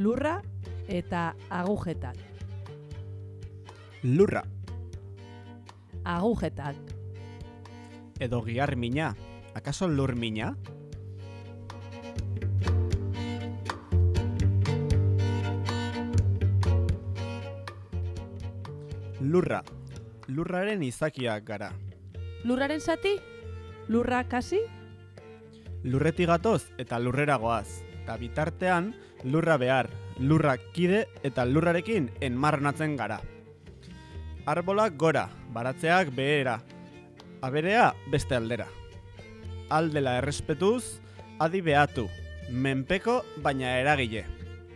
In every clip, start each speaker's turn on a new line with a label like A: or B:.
A: Lurra eta agujetak.
B: Lurra.
A: Agujetak.
B: Edo gihar mina. Akaso lur mina? Lurra. Lurraren izakiak gara.
A: Lurraren zati? Lurra kasi?
B: Lurretik gatoz eta lurrera goaz. Eta bitartean, lurra behar, lurra kide eta lurrarekin enmarronatzen gara. Arbolak gora, baratzeak behera, aberea beste aldera. Aldela errespetuz, adi behatu, menpeko baina eragile.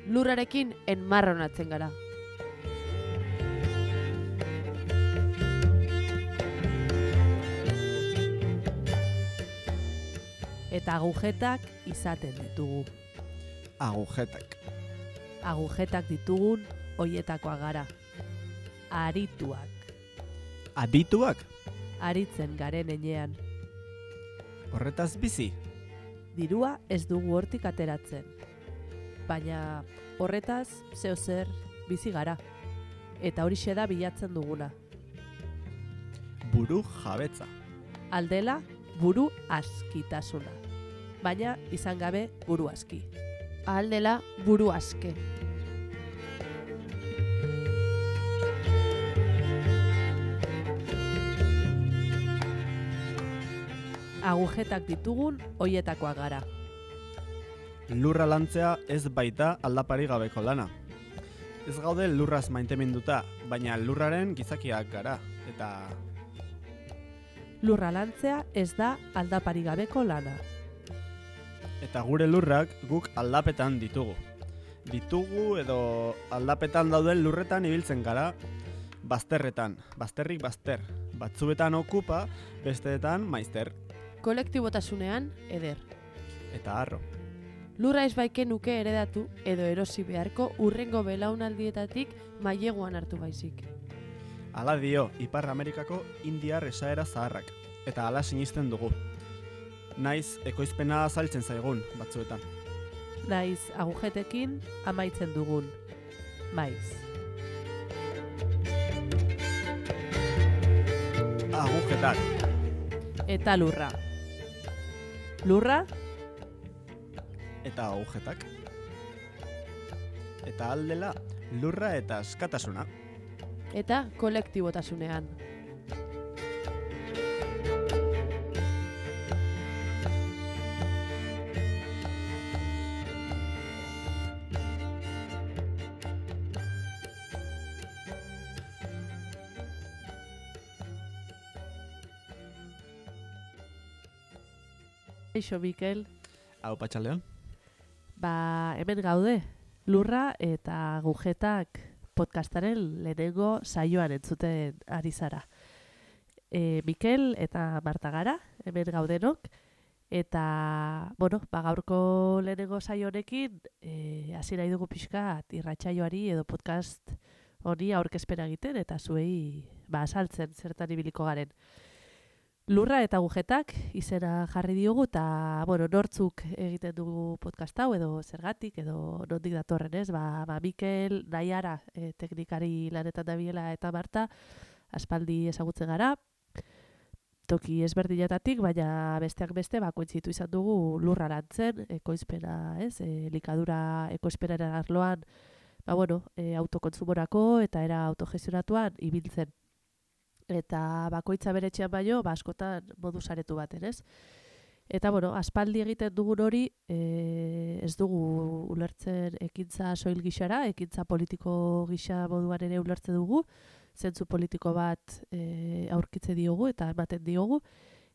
A: Lurrarekin enmarronatzen gara. Eta agujetak izaten ditugu.
B: Agujetak.
A: Agujetak ditugun hoietakoak gara. Arituak.
B: Adituak?
A: Aritzen garen enean.
B: Horretaz bizi?
A: Dirua ez dugu hortik ateratzen. Baina horretaz zeozer bizi gara. Eta horixe da bilatzen duguna.
B: Buru jabetza.
A: Aldela buru askitasuna. Baina izan gabe buru aski. Aldela buru aske. Agujetak ditugun hoietakoak gara.
B: Lurra lantzea ez baita aldapari gabeko lana. Ez gaude lurraz maiteminduta, baina lurraren gizakiak gara, eta
A: Lurra lantzea ez da aldapari gabeko lana.
B: eta gure lurrak guk aldapetan ditugu. Ditugu edo aldapetan dauden lurretan ibiltzen gara, bazterretan, bazterrik bazter, batzuetan okupa, besteetan maizter,
A: Kolektibotasunean eder.
B: eta harro.
A: Lurra ez baike nuke eredatu edo erosi beharko urrengo belaunaldietatik maileguan hartu baizik.
B: Hala dio, Ipar Amerikako indiar esaera zaharrak, eta hala sinisten dugu. Naiz, ekoizpena azaltzen zaigun, batzuetan.
A: Naiz agujetekin amaitzen dugun. Maiz.
B: Agujetak.
A: Eta lurra. Lurra
B: Eta agujetak. Eta aldela, lurra eta askatasuna.
A: eta kolektibotasunean. Eixo, Mikel,
B: Hau patxaldeon.
A: hemen gaude, lurra eta agujetak podcastaren lehenengo saioan entzuten ari zara. Mikel eta Marta gara, hemen gaudenok, eta, gaurko lehenengo saio honekin, hasi nahi dugu pixkat irratsaioari edo podcast honi aurkezpena egiten, eta zuei azaltzen zertan ibiliko garen. Lurra eta agujetak izena jarri diogu eta nortzuk egiten dugu podcast hau edo zergatik edo nondik datorren ez, Mikel, Naiara, teknikari lanetan dabiela eta Marta, aspaldi ezagutzen gara, toki ezberdinetatik, baina besteak beste kointzitu izan dugu lurra lantzen, ekoizpena, ez, elikadura ekoizpenaren arloan, autokontsumorako eta era autogestionatuan ibiltzen. Eta bakoitza bere etxean baino, askotan modu saretu baten, ez? Eta, aspaldi egiten dugun hori, ez dugu ulertzen ekintza soil gixara, ekintza politiko gisa moduan ere ulertzen dugu, zentzu politiko bat aurkitze diogu eta ematen diogu,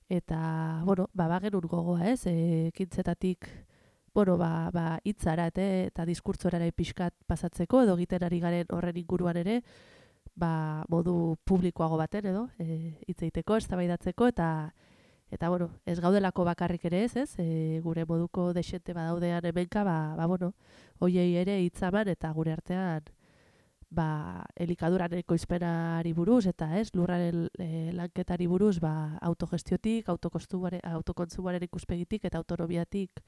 A: eta, bagenun gogoa, ez? Ekintzetatik, hitzara eta diskurtzorara pixkat pasatzeko, edo egiten ari garen horren inguruan ere, modu publikoago baten edo, hitz egiteko, eztabaidatzeko eta ez gaudelako bakarrik ere ez, gure moduko desente badaudean hemenka, hoiei ere hitzaman eta gure artean elikaduran ekoizpenari buruz eta lurraren lanketari buruz autogestiotik, autokontsumoaren ikuspegitik eta autonomiatik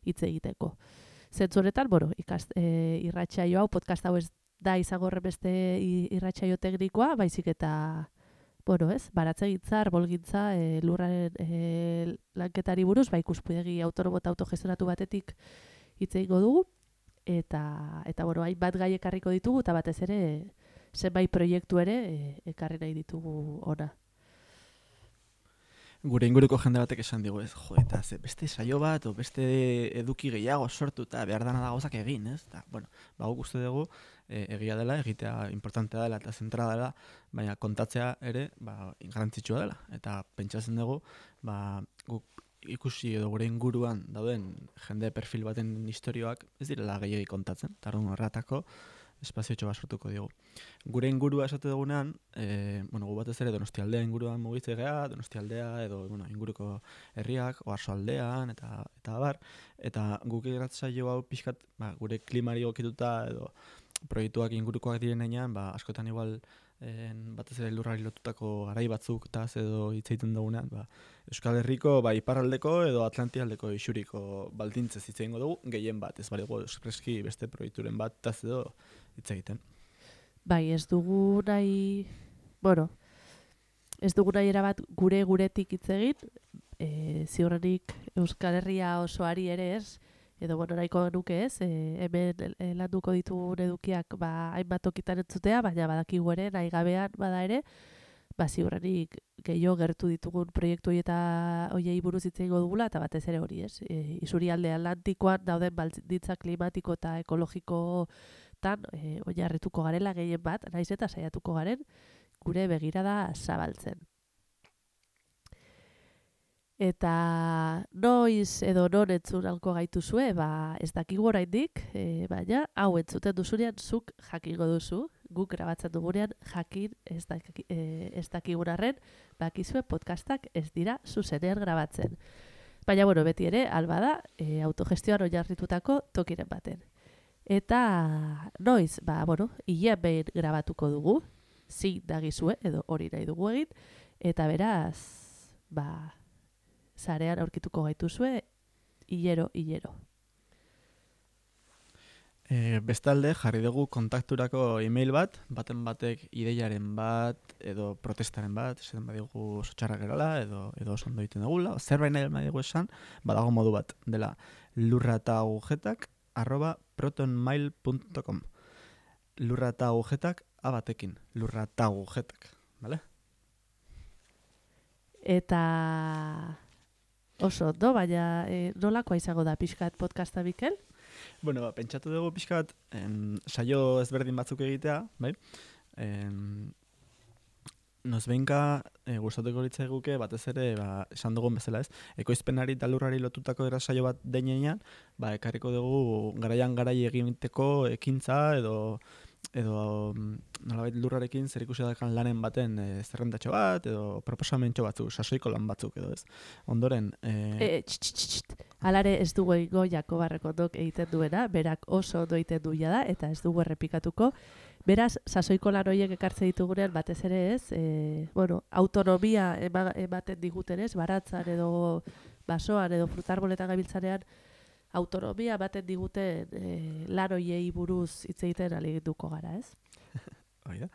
A: hitz egiteko. Zentzu honetan, bueno, irratsaio hau, podcast hau ez da izango horrenbeste irratsaio teknikoa, baizik eta, bueno, ez, baratzegintza, arbolgintza, lurraren lanketari buruz, ikuspegi autonomo eta autogestionatu batetik hitz egingo dugu, eta bueno, hainbat gai ekarriko ditugu, eta batez ere, zenbait proiektu ere ekarri nahi ditugu ona.
B: Gure inguruko jende batek esan digu, ez, jo, eta beste saio bat, o beste eduki gehiago sortu, eta behar dana da gauzak egin, ez? Eta, bueno, guk uste dugu, egia dela, egitea importantea dela eta zentrala dela, baina kontatzea ere, garrantzitsua dela. Eta pentsatzen dugu, guk ikusi edo gure inguruan dauden jende perfil baten istorioak ez direla gehiagi kontatzen, eta horretako espaziotxo bat sortuko diogu. Gure ingurua esate dugunean, gu batez ere Donostialdea inguruan mugitze gea, Donostialdea edo inguruko herriak, Oarsoaldean eta abar, eta guk irratsaio hau pixkat gure klimari egokituta edo proiektuak ingurukoak direnean, askotan igual batez ere lurrari lotutako garai batzuk taz edo hitz egiten dugunean, Euskal Herriko iparraldeko edo Atlantialdeko isuriko baldintzez hitz egingo dugu, gehien bat, ez baligo espreski beste proiekturen bat taz edo hitz egiten.
A: Ez dugu nahi, ez dugu nahi erabat guretik hitz egin, ziurrenik Euskal Herria osoari ere ez, edo nahiko nuke ez, hemen landuko ditugun edukiak hainbat tokitan entzutea, baina badakigu ere, nahi gabean bada ere, ziurrenik gehiago gertu ditugun proiektu eta hoiei buruz hitz egingo dugula, eta batez ere hori ez. Isurialde Atlantikoan dauden baldintza klimatiko eta ekologikotan oinarrituko garela gehien bat, naiz eta saiatuko garen, gure begirada zabaltzen. Eta noiz edo non entzun alko gaituzue, ez dakigu oraindik, baina hau entzuten duzunean zuk jakingo duzu, guk grabatzen dugunean jakin ez dakigun arren, bakizue podcastak ez dira zuzenean grabatzen. Baina, beti ere, alba da, autogestioan oinarritutako tokiren baten. Eta noiz, hilean behin grabatuko dugu, zin dagizue, edo hori nahi dugu egin, eta beraz, zarean aurkituko gaituzue, hilero.
B: Bestalde, jarri dugu kontakturako e-mail bat, baten batek ideiaren bat, edo protestaren bat, esaten badigu oso txarrak gerala, edo oso ondo egiten dugula, zerbait nahi badigu esan, badago modu bat, dela lurratagujetak@protonmail.com lurratagujetak abatekin, lurratagujetak, bale?
A: Eta oso ondo, baina nolakoa izango da pixkat podcasta, Mikel?
B: Pentsatu dugu pixkat saio ezberdin batzuk egitea, bai? Nozbeinka gustatuko litzaiguke batez ere, esan dugun bezala ez, ekoizpenari eta lurrari lotutako saio bat denean, ekarriko dugu garai egiteko ekintza edo nolabait lurrarekin zer ikusi dakan lanen baten zerrendatxo bat, edo proposamentxo batzuk, sasoiko lan batzuk edo ez. Ondoren...
A: Alare ez dugu egingo Jakob Arrekondok egiten duena, berak oso ondo egiten duia da, eta ez dugu errepikatuko. Beraz, sasoiko lan horiek ekartze ditugunean batez ere ez, autonomia ematen diguten ez, baratzan edo basoan edo frutarboletan gabiltzanean, autonomia ematen diguten lan horiei buruz hitz egiten alegituko gara, ez?
B: Hori da.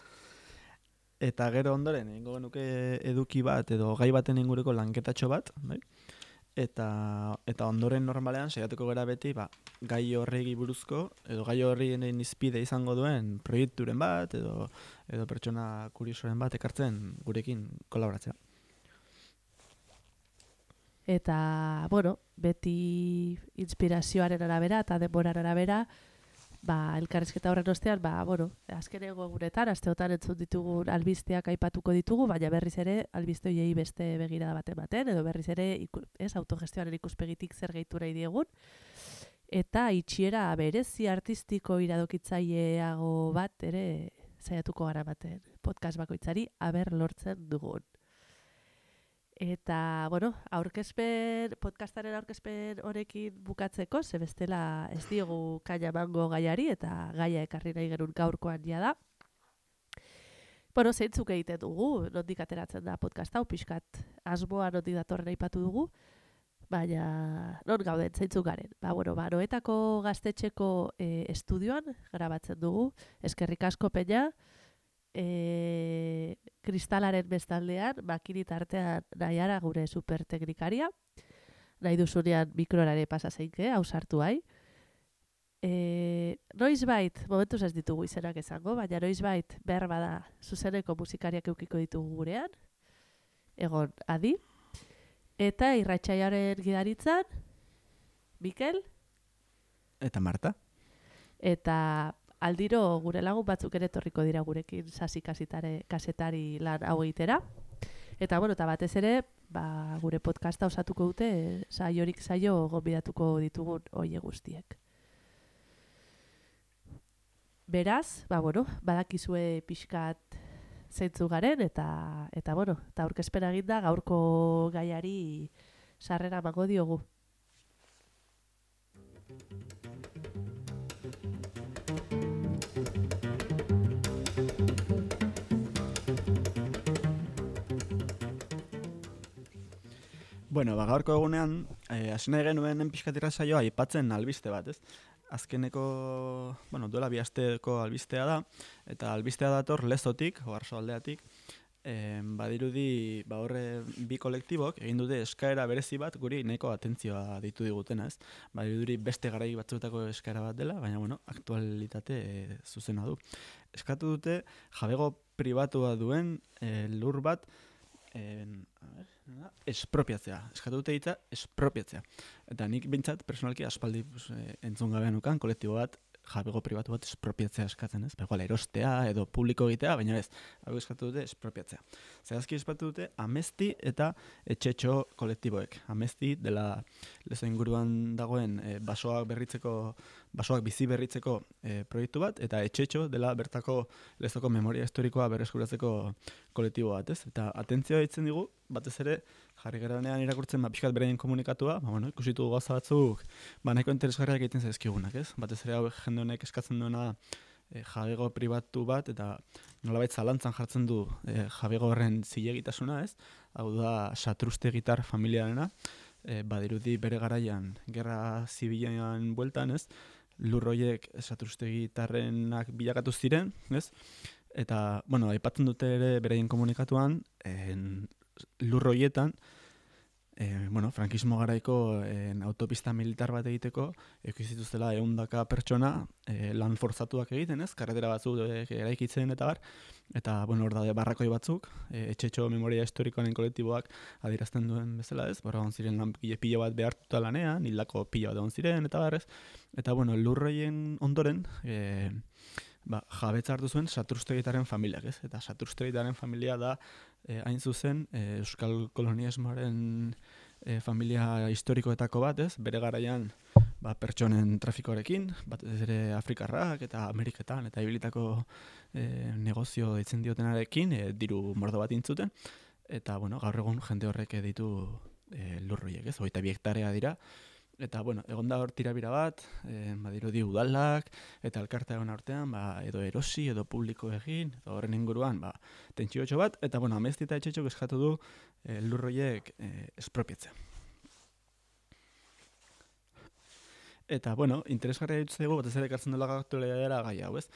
B: Eta gero ondoren, egingo genuke eduki bat edo gai baten inguruko lanketatxo bat, bai? Eta ondoren normalean saiatuko gara beti gai horregi buruzko edo gai horrien izpide izango duen proiekturen bat edo pertsona kuriosoren bat ekartzen gurekin kolaboratzea.
A: Eta, beti inspirazioaren arabera eta denboraren arabera, elkarrizketa horren ostean, azkeneko egunetan, asteotan entzun ditugun albisteak aipatuko ditugu, baina berriz ere albiste horiei beste begirada baten, edo berriz ere autogestioaren ikuspegitik zer gehitu nahi diegun. Eta itxiera berezi artistiko iradokitzaileago bat ere saiatuko gara baten podcast bakoitzari aber lortzen dugun. Eta, podcastaren aurkezpen honekin bukatzeko, ze bestela ez diogu kaina emango gaiari, eta gaia ekarri nahi genuen gaurkoan da. Zeintzuk egiten dugu, nondik ateratzen da podcast hau, pixkat asmoa nondik datorren aipatu dugu. baina non gauden zeintzuk garen. Bueno, Noetako gaztetxeko estudioan grabatzen dugu, eskerrik asko Peña, kristalaren bestaldean, makinit artean Naiara gure superteknikaria, nahi duzunean mikrorare pasa zeinke, ausartu hai. Noizbait, momentuz ez ditugu izenak esango, baina noizbait behar bada zuzeneko musikariak eukiko ditugu gurean, egon Adi, eta irratsaioaren gidaritzan, Mikel,
B: Eta Marta?
A: eta aldiro gure lagun batzuk ere etorriko dira gurekin sasi kasetari lan hau egitera. Eta eta batez ere, gure podcasta osatuko dute, saiorik saio gonbidatuko ditugun hoe guztiek. Beraz, badakizue pixkat zeintzu garen, eta aurkezpena eginda gaurko gaiari sarrera emango diogu.
B: Gaurko egunean, hasi nahi genuen pixkatira saioa aipatzen albiste bat, ez? Azkeneko, duela 2 asteko albistea da, eta albistea dator Lezotik, Oarsoaldeatik, badirudi horre bi kolektibok egin dute eskaera berezi bat guri nahiko atentzioa deitu digutena, ez? Badirudi beste garai batzuetako eskaera bat dela, baina aktualitate zuzena du. Eskatu dute jabego pribatua duen lur bat espropiatzea. Eskatu dute hitza espropiatzea. Eta nik bintzat personalki aspaldi entzun gabean ukan kolektibo bat jabego pribatu bat espropiatzea eskatzen, ez? Igual erostea edo publiko egitea, baina ez, hau eskatu dute espropiatzea. Zehazki eskatu dute Amesti eta Etxetxo kolektiboek. Amesti dela Lezo inguruan dagoen basoak bizi berritzeko proiektu bat, eta Etxetxo dela bertako Lezoko memoria historikoa berreskuratzeko kolektibo bat, ez? Eta atentzioa ditzen digu, batez ere, jarri geranean irakurtzen pixkat beraien komunikatua, ikusitu gauza batzuk, nahiko interesgarriak egiten zaizkigunak, ez? Batez ere hau jende honek eskatzen duena jabego pribatu bat, eta nolabait zalantzan jartzen du jabego horren zilegitasuna, ez? Hau da, Satruste gitar familiarena, badirudi bere garaian, gerra zibilean bueltan, ez? Lurroiek Satruste gitarrenak bilakatu ziren, ez? Eta, aipatzen dute ere beraien komunikatuan, lurroietan, frankismo garaiko autopista militar bat egiteko, zituztela 100 pertsona lan forzatuak egiten, ez? Karretera batzuk eraikitzen eta bar, eta, hor daude barrakoi batzuk, Etxetxo memoria historikoaren kolektiboak adierazten duen bezala, ez? Egon ziren lan pilo bat behartuta lanean, hildako pilo bat egon ziren, eta bar, ez? Eta, lurroien ondoren, jabetza hartu zuen Satrustegitaren familiak, ez? Eta Satrustegitaren familia da hain zuzen Euskal Kolonialismoaren familia historikoetako bat, ez? Bere garaian pertsonen trafikoarekin, batez ere Afrikarrak eta Ameriketan eta ibilitako negozio deitzen diotenarekin diru mordo bat intzuten, eta gaur egun jende horrek ditu lurroiek, ez? 22 hektarea dira. Eta, egon da hor tirabira bat, badirudi udalak, eta elkartea egon artean, edo erosi, edo publiko egin, edo horren inguruan, tentsiotxo bat, eta, Amesti eta Etxetxok eskatu du lurroiek espropiatzea. Eta, interesgarria dituztegu, batez ere ekartzen dela aktualitatea gai hau, ez?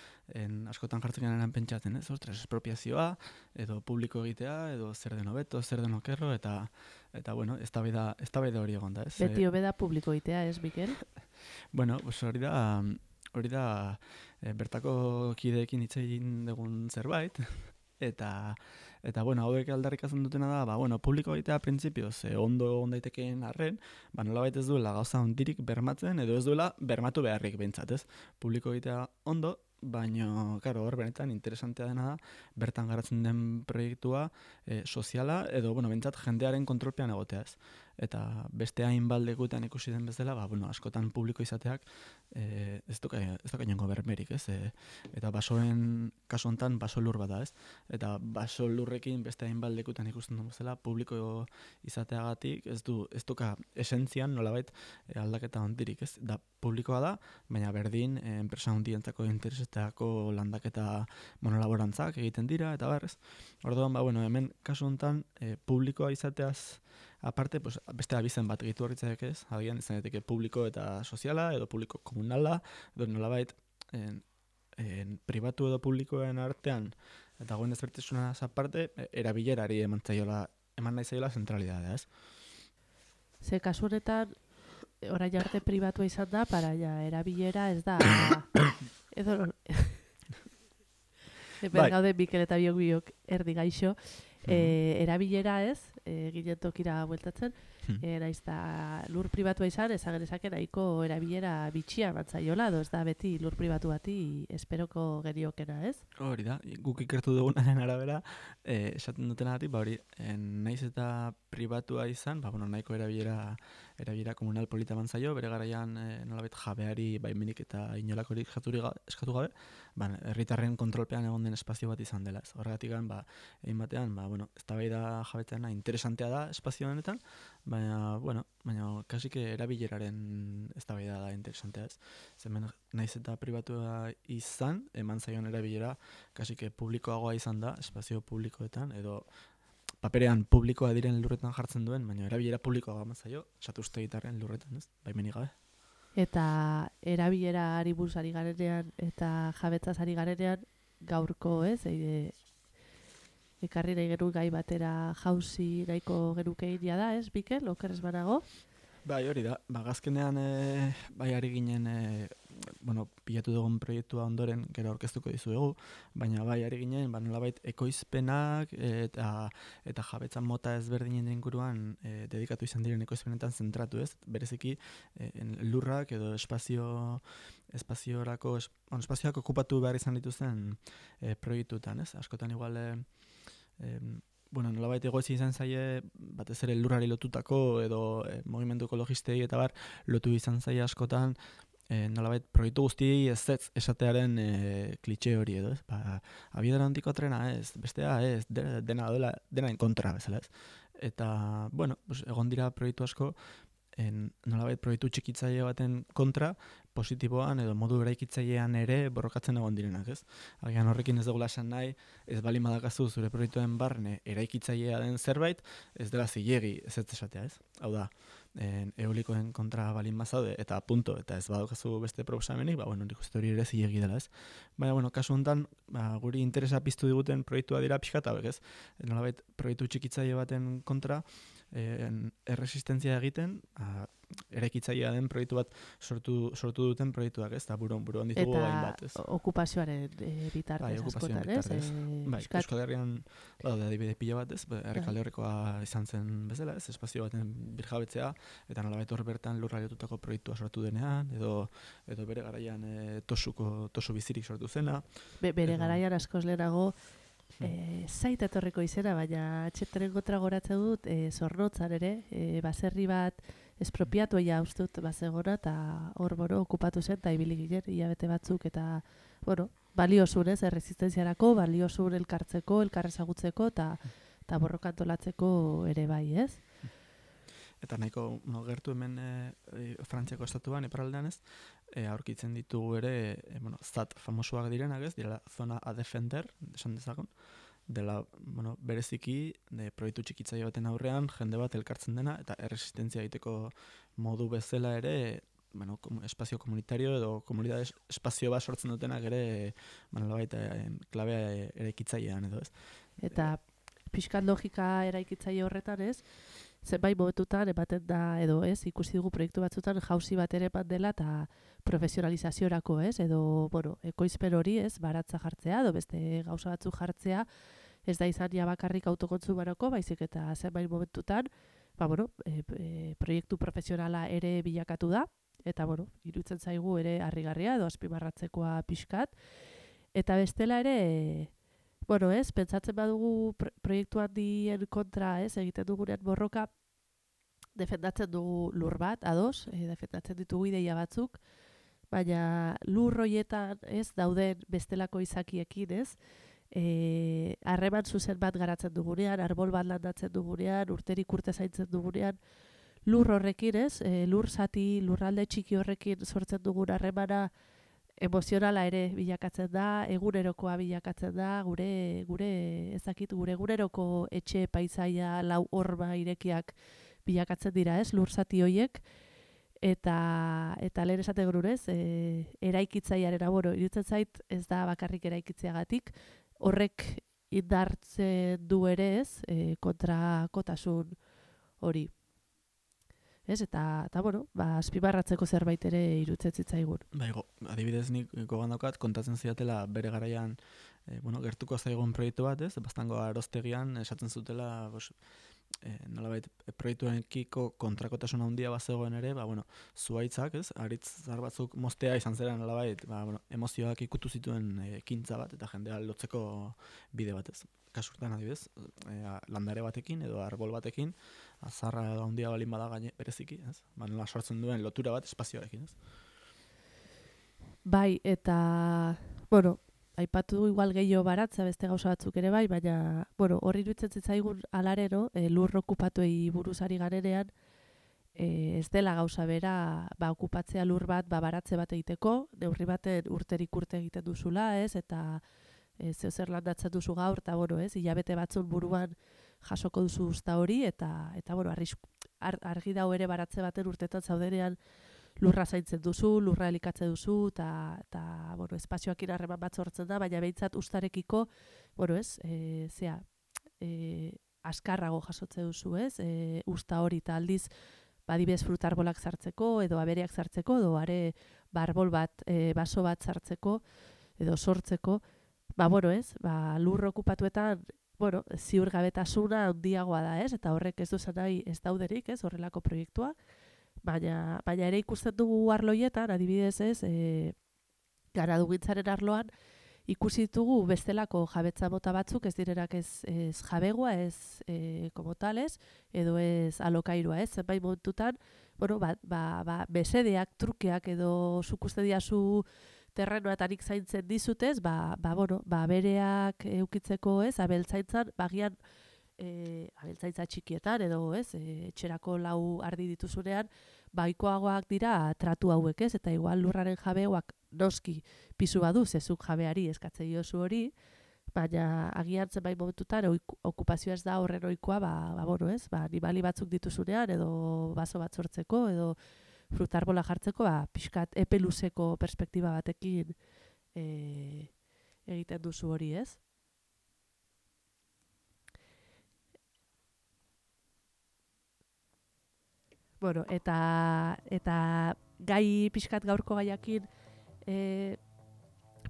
B: Askotan jartzen genean pentsatzen, ez? Ostras, espropiazioa, edo publiko egitea, edo zer den hobeto, zer den okerro, eta eztabaida hori egon da, ez?
A: Beti hobeda publiko egitea, ez, Mikel?
B: Hori da bertako kideekin hitz egin dugun zerbait, eta hauek aldarrikatzen dutena da, publiko egitea printzipioz ondo ondaitekeen arren, nolabait ez duela gauza ondirik bermatzen, edo ez duela bermatu beharrik behintzat, ez? Publiko egitea ondo, baina, hor benetan interesantea dena da, bertan garatzen den proiektua soziala, edo, behintzat jendearen kontrolpean egotea, ez? Eta beste hainbaldekuetan ikusi den bezala, askotan publiko izateak ez duka inongo bermerik, ez? Eta basoen kasu honetan baso lur bat da, ez? Eta baso lurrekin beste hainbaldekuetan ikusten duen bezala, publiko izateagatik ez duka esentzian nolabait aldaketa hondirik, ez? Da publikoa da, baina berdin enpresa hondientzako interesetako landaketa monolaborantzak egiten dira, eta barrez. Orduan, hemen kasu honetan publikoa izateaz aparte, pues, beste abizen bat gehitu horritzak ez, agian izan daiteke publiko eta soziala, edo publiko komunala, edo nolabait pribatu edo publikoen artean, eta goen ezbertasuna aparte, erabilerari eman nahi zaiola zentralidadea, ez?
A: Ze kasu honetan, orain arte pribatua izan da, paraia erabilera ez da, edo hemen gaude Mikel eta biok erdi gaixo, erabilera ez, ginen tokira bueltatzen, naiz da lur pribatua izan, ezagen ezake nahiko erabilera bitxia mantzaiola, edo ez da beti lur pribatu bati esperoko geniokena, ez?
B: Hori da, guk ikertu dugunaren arabera, esaten dutenagatik, hori, naiz eta pribatua izan, nahiko erabilera komunal polita mantzaio, bere garaian nolabait jabeari baimenik eta inolakorik eskatu gabe, herritarren kontrolpean egon den espazio bat izan dela, ez? Horregatik egin batean, eztabaida jabetzeana interesantea da espazio honetan, baina kasik erabileraren eztabaida da interesantea, ez? Zemen naiz eta pribatua izan, eman zaion erabilera kasik publikoagoa izan da, espazio publikoetan, edo paperean publikoa diren lurretan jartzen duen, baina erabilera publikoa eman zaio, satuzte gitarren lurretan, ez? Baimenik gabe.
A: Eta erabilera ari buruz ari garenean, eta jabetzaz ari garenean, gaurko, ez? Ekarri nahi genuen gai batera jauzi nahiko genukein da, ez, Mikel, okerrez banago?
B: Bai, hori da, gazkenean ari ginen, pilatu dugun proiektua ondoren gero aurkeztuko dizuegu, baina ari ginen, nolabait ekoizpenak eta jabetzan mota ezberdinen inguruan dedikatu izan diren ekoizpenetan zentratu, ez? Bereziki lurrak edo espazioak okupatu behar izan dituzten proiektutan, ez? Askotan igual nolabait egoezi izan zaie, batez ere lurrari lotutako edo mugimendu ekologistei eta lotu izan zaie askotan, nolabait proiektu guztiei ez esatearen klitxe hori edo, ez? Abiadura handiko trena ez, bestea ez, denaren kontra bezala ez. Eta, egon dira proiektu asko, nolabait proiektu txikitzaile baten kontra, positiboan edo modu eraikitzailean ere borrokatzen egon direnak, ez? Agian horrekin ez dugula esan nahi, ez balin badakazu zure proiektuen barne eraikitzailea den zerbait, ez dela zilegi ez esatea, ez? Hau da, eolikoen kontra balin bazaude eta punto, eta ez badaukazu beste proposamenik, nik uste hori ere zilegi dela, ez? Baina, kasu honetan, guri interesa piztu diguten proiektua dira pixkat hauek, ez? Nolabait proiektu txikitzaile baten kontra, erresistentzia egiten, eraikitzailea den proiektu bat sortu duten proiektuak, ez? Eta buruan ditugu hainbat, ez?
A: Eta okupazioaren bitartez askotan, ez?
B: Euskal Herrian daude adibide pila bat, ez? Errekale horrekoa izan zen bezala, ez? Espazio baten birjabetzea, eta nolabait hor bertan lurraliotutako proiektua sortu denean, edo bere garaian tosu bizirik sortu zena.
A: Bere garaian askoz lehenago, zait etorriko izena, baina txeteren kontra goratzen dut, Zornotzan ere, baserri bat espropiatu ustut bazegona, eta hor, okupatu zen, eta ibili ginen, hilabete batzuk, eta, baliosun, ez, erresistenziarako, baliosun elkartzeko, elkarrezagutzeko, eta borrokantolatzeko ere bai, ez?
B: Eta nahiko gertu hemen Frantziako estatuan, iparraldean ez, aurkitzen ditugu ere, ZAT famosuak direnak ez, direla zona a defender, esan dezakon, dela, bereziki, proiektu txikitzaile baten aurrean, jende bat elkartzen dena, eta erresistentzia egiteko modu bezala ere, espazio komunitario edo komunitate espazio bat sortzen dutenak ere, klabea eraikitzailean edo ez.
A: Eta pixkat logika eraikitzaile horretan ez, zenbait momentutan ematen da, edo ez, ikusi dugu proiektu batzutan jauzi bat ere eman dela eta profesionalizaziorako, ez, edo, ekoizpen hori, ez, baratza jartzea, edo beste gauza batzuk jartzea, ez da izan ja bakarrik autokontsumarako, baizik eta zenbait momentutan, proiektu profesionala ere bilakatu da, eta, iruditzen zaigu ere harrigarria, edo azpimarratzekoa pixkat, eta bestela ere, ez, pentsatzen badugu proiektu handien kontra, ez, egiten dugunean borroka, defendatzen dugu lur bat, ados, defendatzen ditugu ideia batzuk, baina lur horietan, ez, dauden bestelako izakiekin, ez, harreman zuzen bat garatzen dugunean, arbol bat landatzen dugunean, urterik urte zaintzen dugunean, lur horrekin, ez, lur zati, lurralde txiki horrekin sortzen dugun harremana, emozionala ere bilakatzen da, egunerokoa bilakatzen da, gure eguneroko etxe paisaia lau horma irekiak bilakatzen dira, ez, lur zati horiek, eta lehen esate grurez, eraikitzaiaren aboro, iruditzen zait ez da bakarrik eraikitzeagatik, horrek indartzen du ere ez, kontrakotasun hori. Ez, eta bueno, azpimarratzeko zerbait ere iruditzen zitzaigun.
B: Adibidez nik gogoan daukat, kontatzen ziatela bere garaian, gertuko zaigun proiektu bat, ez? Bastango Arostegian esaten zutela, nolabait proiektuarekiko kontrakotasun handia bazegoen ere, zuhaitzak, ez? Aritzar batzuk moztea izan zera nolabait, emozioak ikutu zituen ekintza bat eta jendea lotzeko bide batez. Kasurtan adibidez, landare batekin edo arbol batekin, azarra handia balin bada gaine bereziki, ez? Nola sortzen duen lotura bat espazioarekin, ez?
A: Bai, eta, aipatu igual gehiago baratza beste gauza batzuk ere bai, baina, horri iruditzen zitzaigun alarero, lur okupatuei buruz ari garenean, ez dela gauza bera, okupatzea lur bat, baratze bat egiteko, neurri baten urterik urte egiten duzula, ez, eta zeo zer landatzen duzu gaur, eta, ez, hilabete batzun buruan jasoko duzu usta hori, eta argi dau ere baratze baten urtetan zaudenean lurra zaintzen duzu, lurra elikatze duzu, eta espazioakin harreman bat sortzen da, baina behintzat ustarekiko, askarrago jasotze duzu, ez? Usta hori, eta aldiz, badibez frutarbolak sartzeko, edo abereak sartzeko, edo are barbol bat, baso bat sartzeko, edo sortzeko, lur okupatuetan, ziurgabetasuna handiagoa da, ez? Eta horrek ez duzan nahi ez dauderik, ez? Horrelako proiektua. Baina ere ikusten dugu arloietan, adibidez ez, garadugintzaren arloan, ikusi ditugu bestelako jabetza mota batzuk, ez direnak ez jabegoa, ez como tales, edo ez alokairua, ez, zenbait momentutan, besedeak, trukeak edo zukuste diazu terrenoetanik zaintzen dizutez, bereak eukitzeko, ez, abeltzaintzan, bagian, abeltzaintza txikietan edo ez, etxerako lau ardi dituzunean, baikoagoak dira tratu hauek, ez, eta igual lurraren jabeoak noski pisu badu, zezuk jabeari eskatzen diozu hori, baina agian zenbait momentutan okupazioa ez da horren ohikoa, ez, animali batzuk dituzunean edo baso bat sortzeko edo frutarbola jartzeko, pixkat epe luzeko perspektiba batekin egiten duzu hori, ez? Eta gai pixkat gaurko gaiakin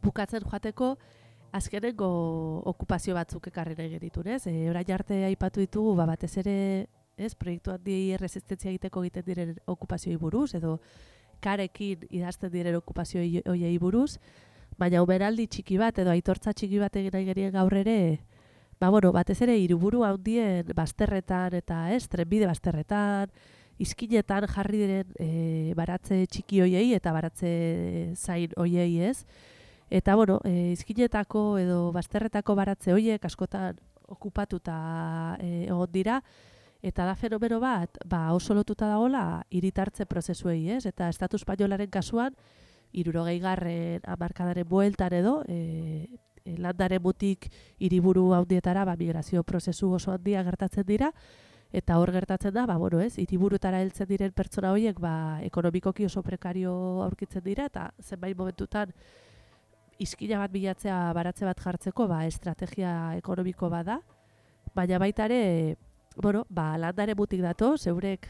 A: bukatzen joateko, azkenengo okupazio batzuk ekarri nahi genitun, ez? Orain arte aipatu ditugu, batez ere, ez, proiektu handi erresistentzia egiteko egiten diren okupazioi buruz, edo karekin idazten diren okupazioi hoiei buruz, baina omenaldi txiki bat, edo aitortza txiki bat egin nahi genien gaur ere, batez ere hiriburu handien bazterretan, eta ez, trenbide bazterretan, izkinetan jarri diren baratze txiki hoiei eta baratze zain hoiei, ez? Eta, izkinetako edo bazterretako baratze hoiek askotan okupatuta egon dira, eta da fenomeno bat, oso lotuta dagoela hiritartze prozesuei, ez? Eta Estatu Espainolaren kasuan, 60. hamarkadaren bueltan edo, landaren butik hiriburu handietara migrazio prozesu oso handia gertatzen dira, eta hor gertatzen da, hiriburutara heltzen diren pertsona horiek ekonomikoki oso prekario aurkitzen dira, eta zenbait momentutan izkina bat bilatzea baratze bat jartzeko estrategia ekonomiko bada, baina baita ere, landare butik dato, zeurek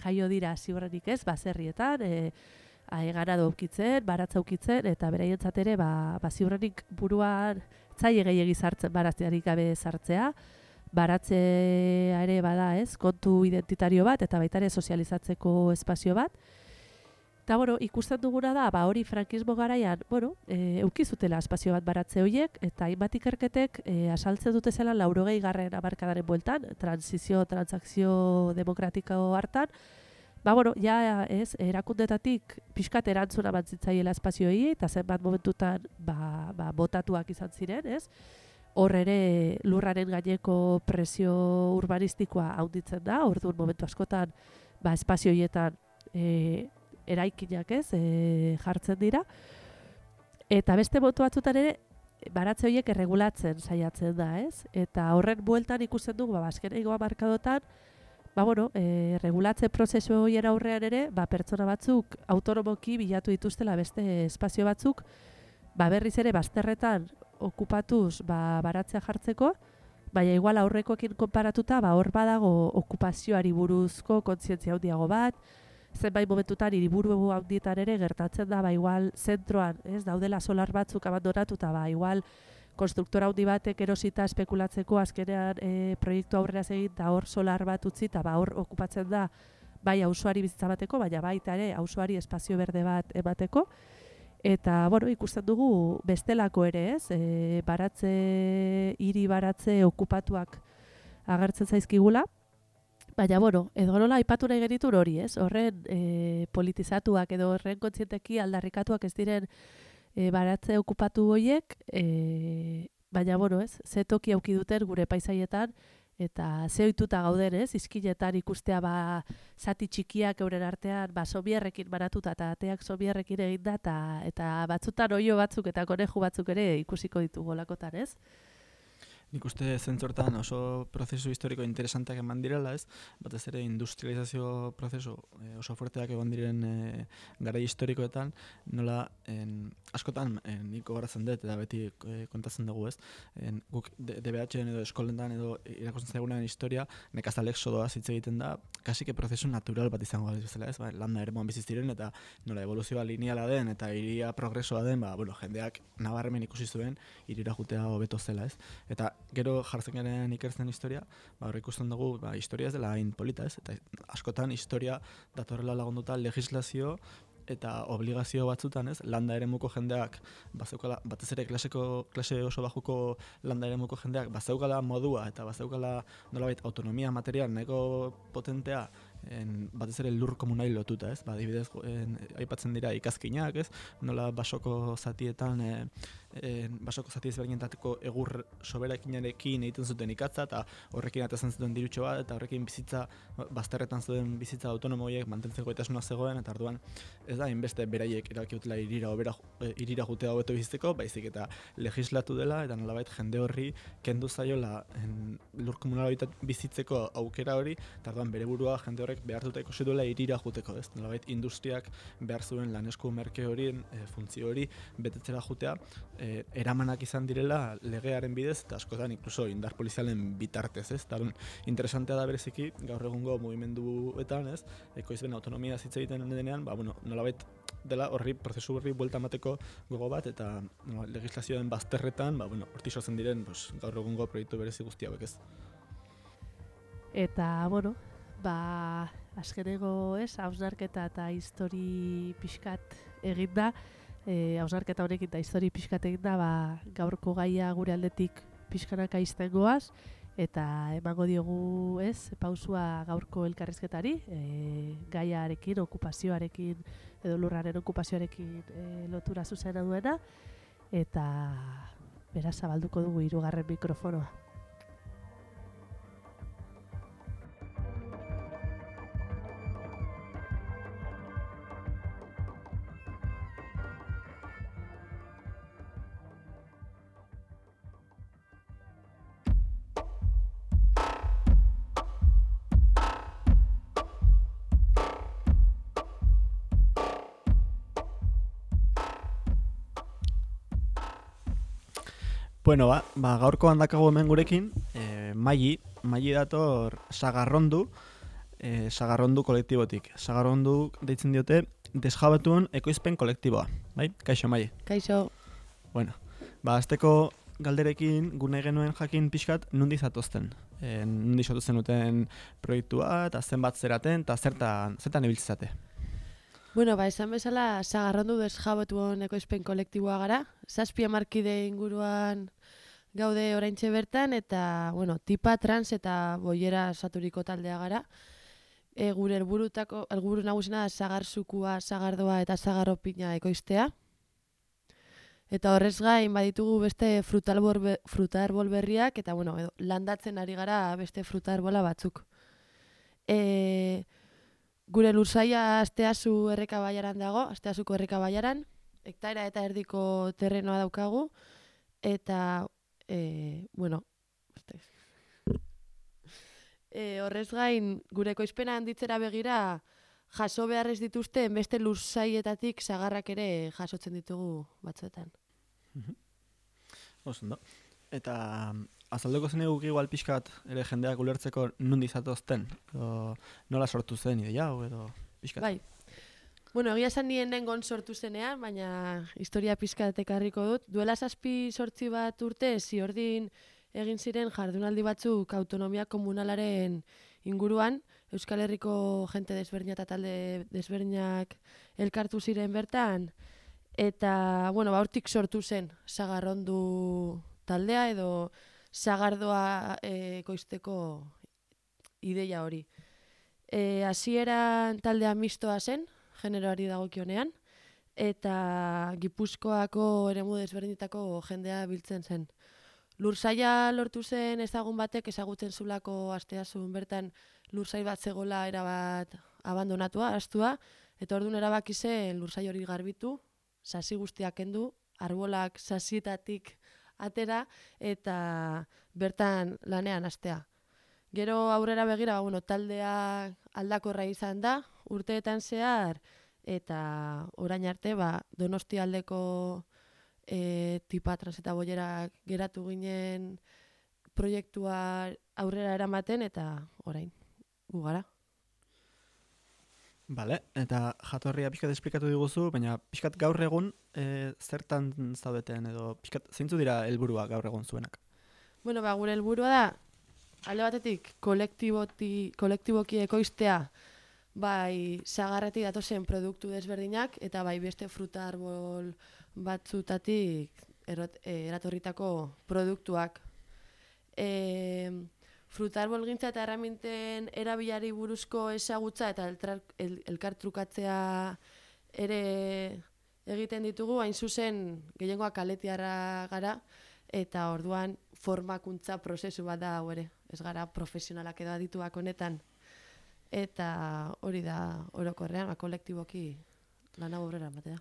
A: jaio dira ziurrenik ez, baserrietan, ganado aukitzen, baratza aukitzen, eta beraientzat ere, ziurrenik buruan zaile gehiegi sartzen baratzearik gabe sartzea, baratzea ere bada, ez, kontu identitario bat, eta baita ere sozializatzeko espazio bat. Eta, ikusten duguna da, hori frankismo garaian, eukizutela espazio bat baratze horiek, eta hainbat ikerketek asaltzen dute zela 80. hamarkadaren bueltan, transakzio demokratiko hartan, erakundetatik pixkat erantzuna bantzitzaiela espazioei, eta zenbat momentutan botatuak izan ziren, ez? Hor ere lurraren gaineko presio urbanistikoa handitzen da, orduan momentu askotan espazio horietan eraikinak ez jartzen dira. Eta beste momentu batzutan ere baratze horiek erregulatzen saiatzen da, ez? Eta horren bueltan ikusten dugu, azkeneko hamarkadotan, regulatze prozesu horien aurrean ere, pertsona batzuk autonomoki bilatu dituztela beste espazio batzuk, berriz ere bazterretan okupatuz baratzea jartzeko, baina igual aurrekoekin konparatuta hor badago okupazioari buruzko kontzientzia handiago bat, zenbait momentutan hiriburu handietan ere gertatzen da igual zentroan, daudela solar batzuk abandonatuta, igual konstruktora handi batek erosita espekulatzeko azkenean proiektu aurrera egin eta hor solar bat utzi eta hor okupatzen da bai auzoari bizitza bateko, baina baita ere auzoari espazio berde bat emateko. Eta, ikusten dugu bestelako ere, hiri baratze okupatuak agertzen zaizkigula. Baina, edo nola aipatu nahi genitun hori, horren politizatuak edo horren kontzienteki aldarrikatuak ez diren baratze okupatu horiek, baina, ze toki auki duten gure paisaietan, eta ze ohituta gauden, izkinetan ikustea zati txikiak euren artean sobierrekin baratuta eta ateak sobierrekin egin da eta batzutan oio batzuk eta koneju batzuk ere ikusiko ditugu lakotan, ez?
B: Nik uste zentzortan oso prozesu historiko interesanteak eman direla, batez ere industrializazio prozesu oso fuerteak egon diren garai historikoetan, nola askotan nik gogoratzen dut eta beti kontatzen dugu, guk DBH-en edo eskolentan edo irakurtzen zaigunean historia, nekazal exodoa hitz egiten da, kasike prozesu natural bat izango da bezala, landa eremuan bizi ziren eta nola evoluzioa lineala den eta hiria progresoa den, jendeak nabarmen ikusi zuen hirira joatea hobeto zela, eta gero jartzen garen ikertzen historia, hor ikusten dugu, historia ez dela hain polita, eta askotan historia datorrela lagunduta legislazio eta obligazio batzutan, landa eremuko jendeak, batez ere klase oso bajuko landa eremuko jendeak, bazeukala modua eta bazeukala nolabait autonomia material nahiko potentea, batez ere lur komunai lotuta, adibidez, aipatzen dira ikazkinak, nola basoko zatietan, basoko zati ezberdinetako egur soberakinekin egiten zuten ikatza eta horrekin atezen zuten dirutxo bat eta horrekin bizitza, bazterretan zuten bizitza autonomoiek mantentzeko gaitasuna zegoen eta orduan ez da hainbeste beraiek erabaki dutela hirira joatea hobeto bizitzeko, baizik eta legislatu dela eta nolabait jende horri kendu zaiola lur komunal bizitzeko aukera hori eta orduan bere burua jende horrek behartuta ikusi duela hirira joateko, nolabait industriak behar zuen lanesku merke horien funtzio hori betetzera joatea, eramanak izan direla legearen bidez eta askotan inkluso indar polizialen bitartez, eta interesantea da bereziki gaur egungo mugimenduetan, ekoizben autonomia hitz egiten denean, nolabait dela horri prozesu horri buelta emateko gogo bat eta legislazioen bazterretan, hortik sortzen diren gaur egungo proiektu berezi guzti hauek, ez.
A: Eta, azkeneko, hausnarketa eta histori pixkat egin da, hausnarketa honekin eta histori pixkat egin da, gaurko gaia gure aldetik pixkanaka izten goaz, eta emango diogu pausua gaurko elkarrizketari, gaiarekin, okupazioarekin, edo lurraren okupazioarekin lotura zuzena duena, eta beraz zabalduko dugu 3. mikrofonoa.
B: Bueno, gaurko handakago hemen gurekin, Maili dator Sagarrondu kolektibotik. Sagarrondu deitzen diote desjabetuon ekoizpen kolektiboa, bai? Kaixo, Maili.
C: Kaixo.
B: Bueno, azteko galderekin gune genuen jakin pixkat nundi zatozten. Nundi zatozten duten proiektua, eta zenbat zeraten, eta zertan ibiltzate.
C: Bueno, esan bezala, Sagarrondu desjabetuon ekoizpen kolektiboa gara. 7 hamarkide inguruan gaude oraintxe bertan, eta, tipa, trans eta boiera saturiko taldea gara. Gure helburu nagusina sagarzukua, sagardoa eta sagarropina ekoiztea. Eta horrez gain baditugu beste frutarbol berriak, eta landatzen ari gara beste frutarbola batzuk. Gure lursaia Asteazu Errekabaiaran dago, Asteazuko Errekabaiaran, hektaera eta erdiko terrenoa daukagu, eta, Horrez gain, gure ekoizpena handitzera begira, jaso behar ez dituzte, beste lursaietatik sagarrak ere jasotzen ditugu batzuetan.
B: Oso ondo. Eta azalduko zen eguk igual pixkat ere jendeak ulertzeko nundi zatozten, edo nola sortu zen ideia hau edo pixkat.
C: Bai. Bueno, egia esan nien nengon sortu zenean, baina historia pixkat ekarriko dut. Duela 7-8 bat urte, ziordin egin ziren jardunaldi batzuk autonomia komunalaren inguruan, Euskal Herriko jente desberdina eta talde desberdinak elkartu ziren bertan, eta, bueno, hortik sortu zen sagarrondu taldea edo sagardoa ekoizteko ideia hori. Hasieran taldea mistoa zen, generoari dagokionean, eta Gipuzkoako eremu desberdinetako jendea biltzen zen. Lursaila lortu zen ezagun batek ezagutzen zulako asteazun bertan lursai bat zegola erabat abandonatua, ahaztua, eta orduan erabaki zen lursai hori garbitu, sasi guztiak kendu, arbolak sasietatik atera eta bertan lanean hastea. Gero aurrera begira, taldea aldakorra izan da, urteetan zehar, eta orain arte, Donostia aldeko tipa trans eta boierak geratu ginen proiektua aurrera eramaten, eta orain, gu gara.
B: Bale, eta jatorria pixkat esplikatu diguzu, baina pixkat gaur egun zertan zaudeten edo pixkat zeintzu dira helburua gaur egun zuenak?
C: Bueno, gure helburua da, alde batetik kolektiboki ekoiztea bai sagarretik datozen produktu desberdinak eta bai beste fruta arbol batzutatik eratorritako produktuak. Fruta arbolgintza eta erraminten erabilari buruzko ezagutza eta elkartrukatzea ere egiten ditugu, hain zuzen gehiengoak kaletiarra gara, eta orduan formakuntza prozesu bat da hau ere. Ez gara profesionalak edo adituak honetan. Eta hori da orokorrean, kolektiboki lan hau aurrera ematea.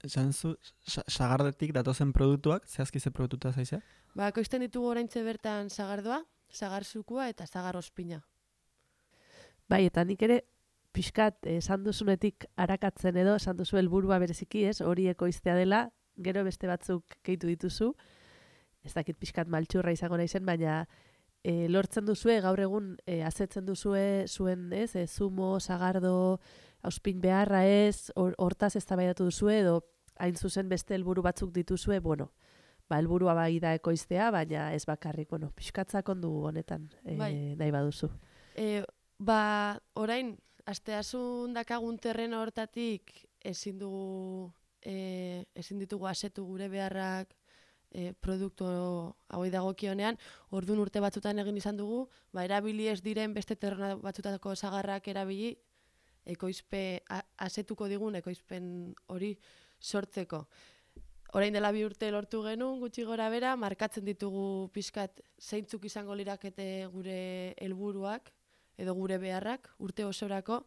B: Esan zu, sagardetik datozen produktuak, zehazki ze produktuta zaizea?
C: Ekoizten ditugu oraintxe bertan sagardoa, sagarzukua eta sagar ospina.
A: Bai, eta nik ere pixkat esan duzunetik arakatzen edo, esan duzu helburua bereziki, ez, hori ekoiztea dela, gero beste batzuk gehitu dituzu, ez dakit pixkat maltxurra izango naizen, baina lortzen duzue, gaur egun azetzen duzue zuen, ez, zumo, sagardo, auspin beharra ez, hortaz eztabaidatu duzue, edo hain zuzen beste helburu batzuk dituzue, bueno, helburua bai da ekoiztea, baina ez bakarrik, pixkatzak ondu honetan nahi baduzu.
C: Orain, asteazun dakagun terreno hortatik ezin ditugu asetu gure beharrak produktu hauei dagokionean, orduan urte batzutan egin izan dugu, erabili ez diren beste terreno batzutako sagarrak erabili, asetuko digun ekoizpen hori sortzeko. Orain dela 2 urte lortu genuen, gutxi gora bera, markatzen ditugu pixkat zeintzuk izango lirakete gure helburuak edo gure beharrak urte osorako,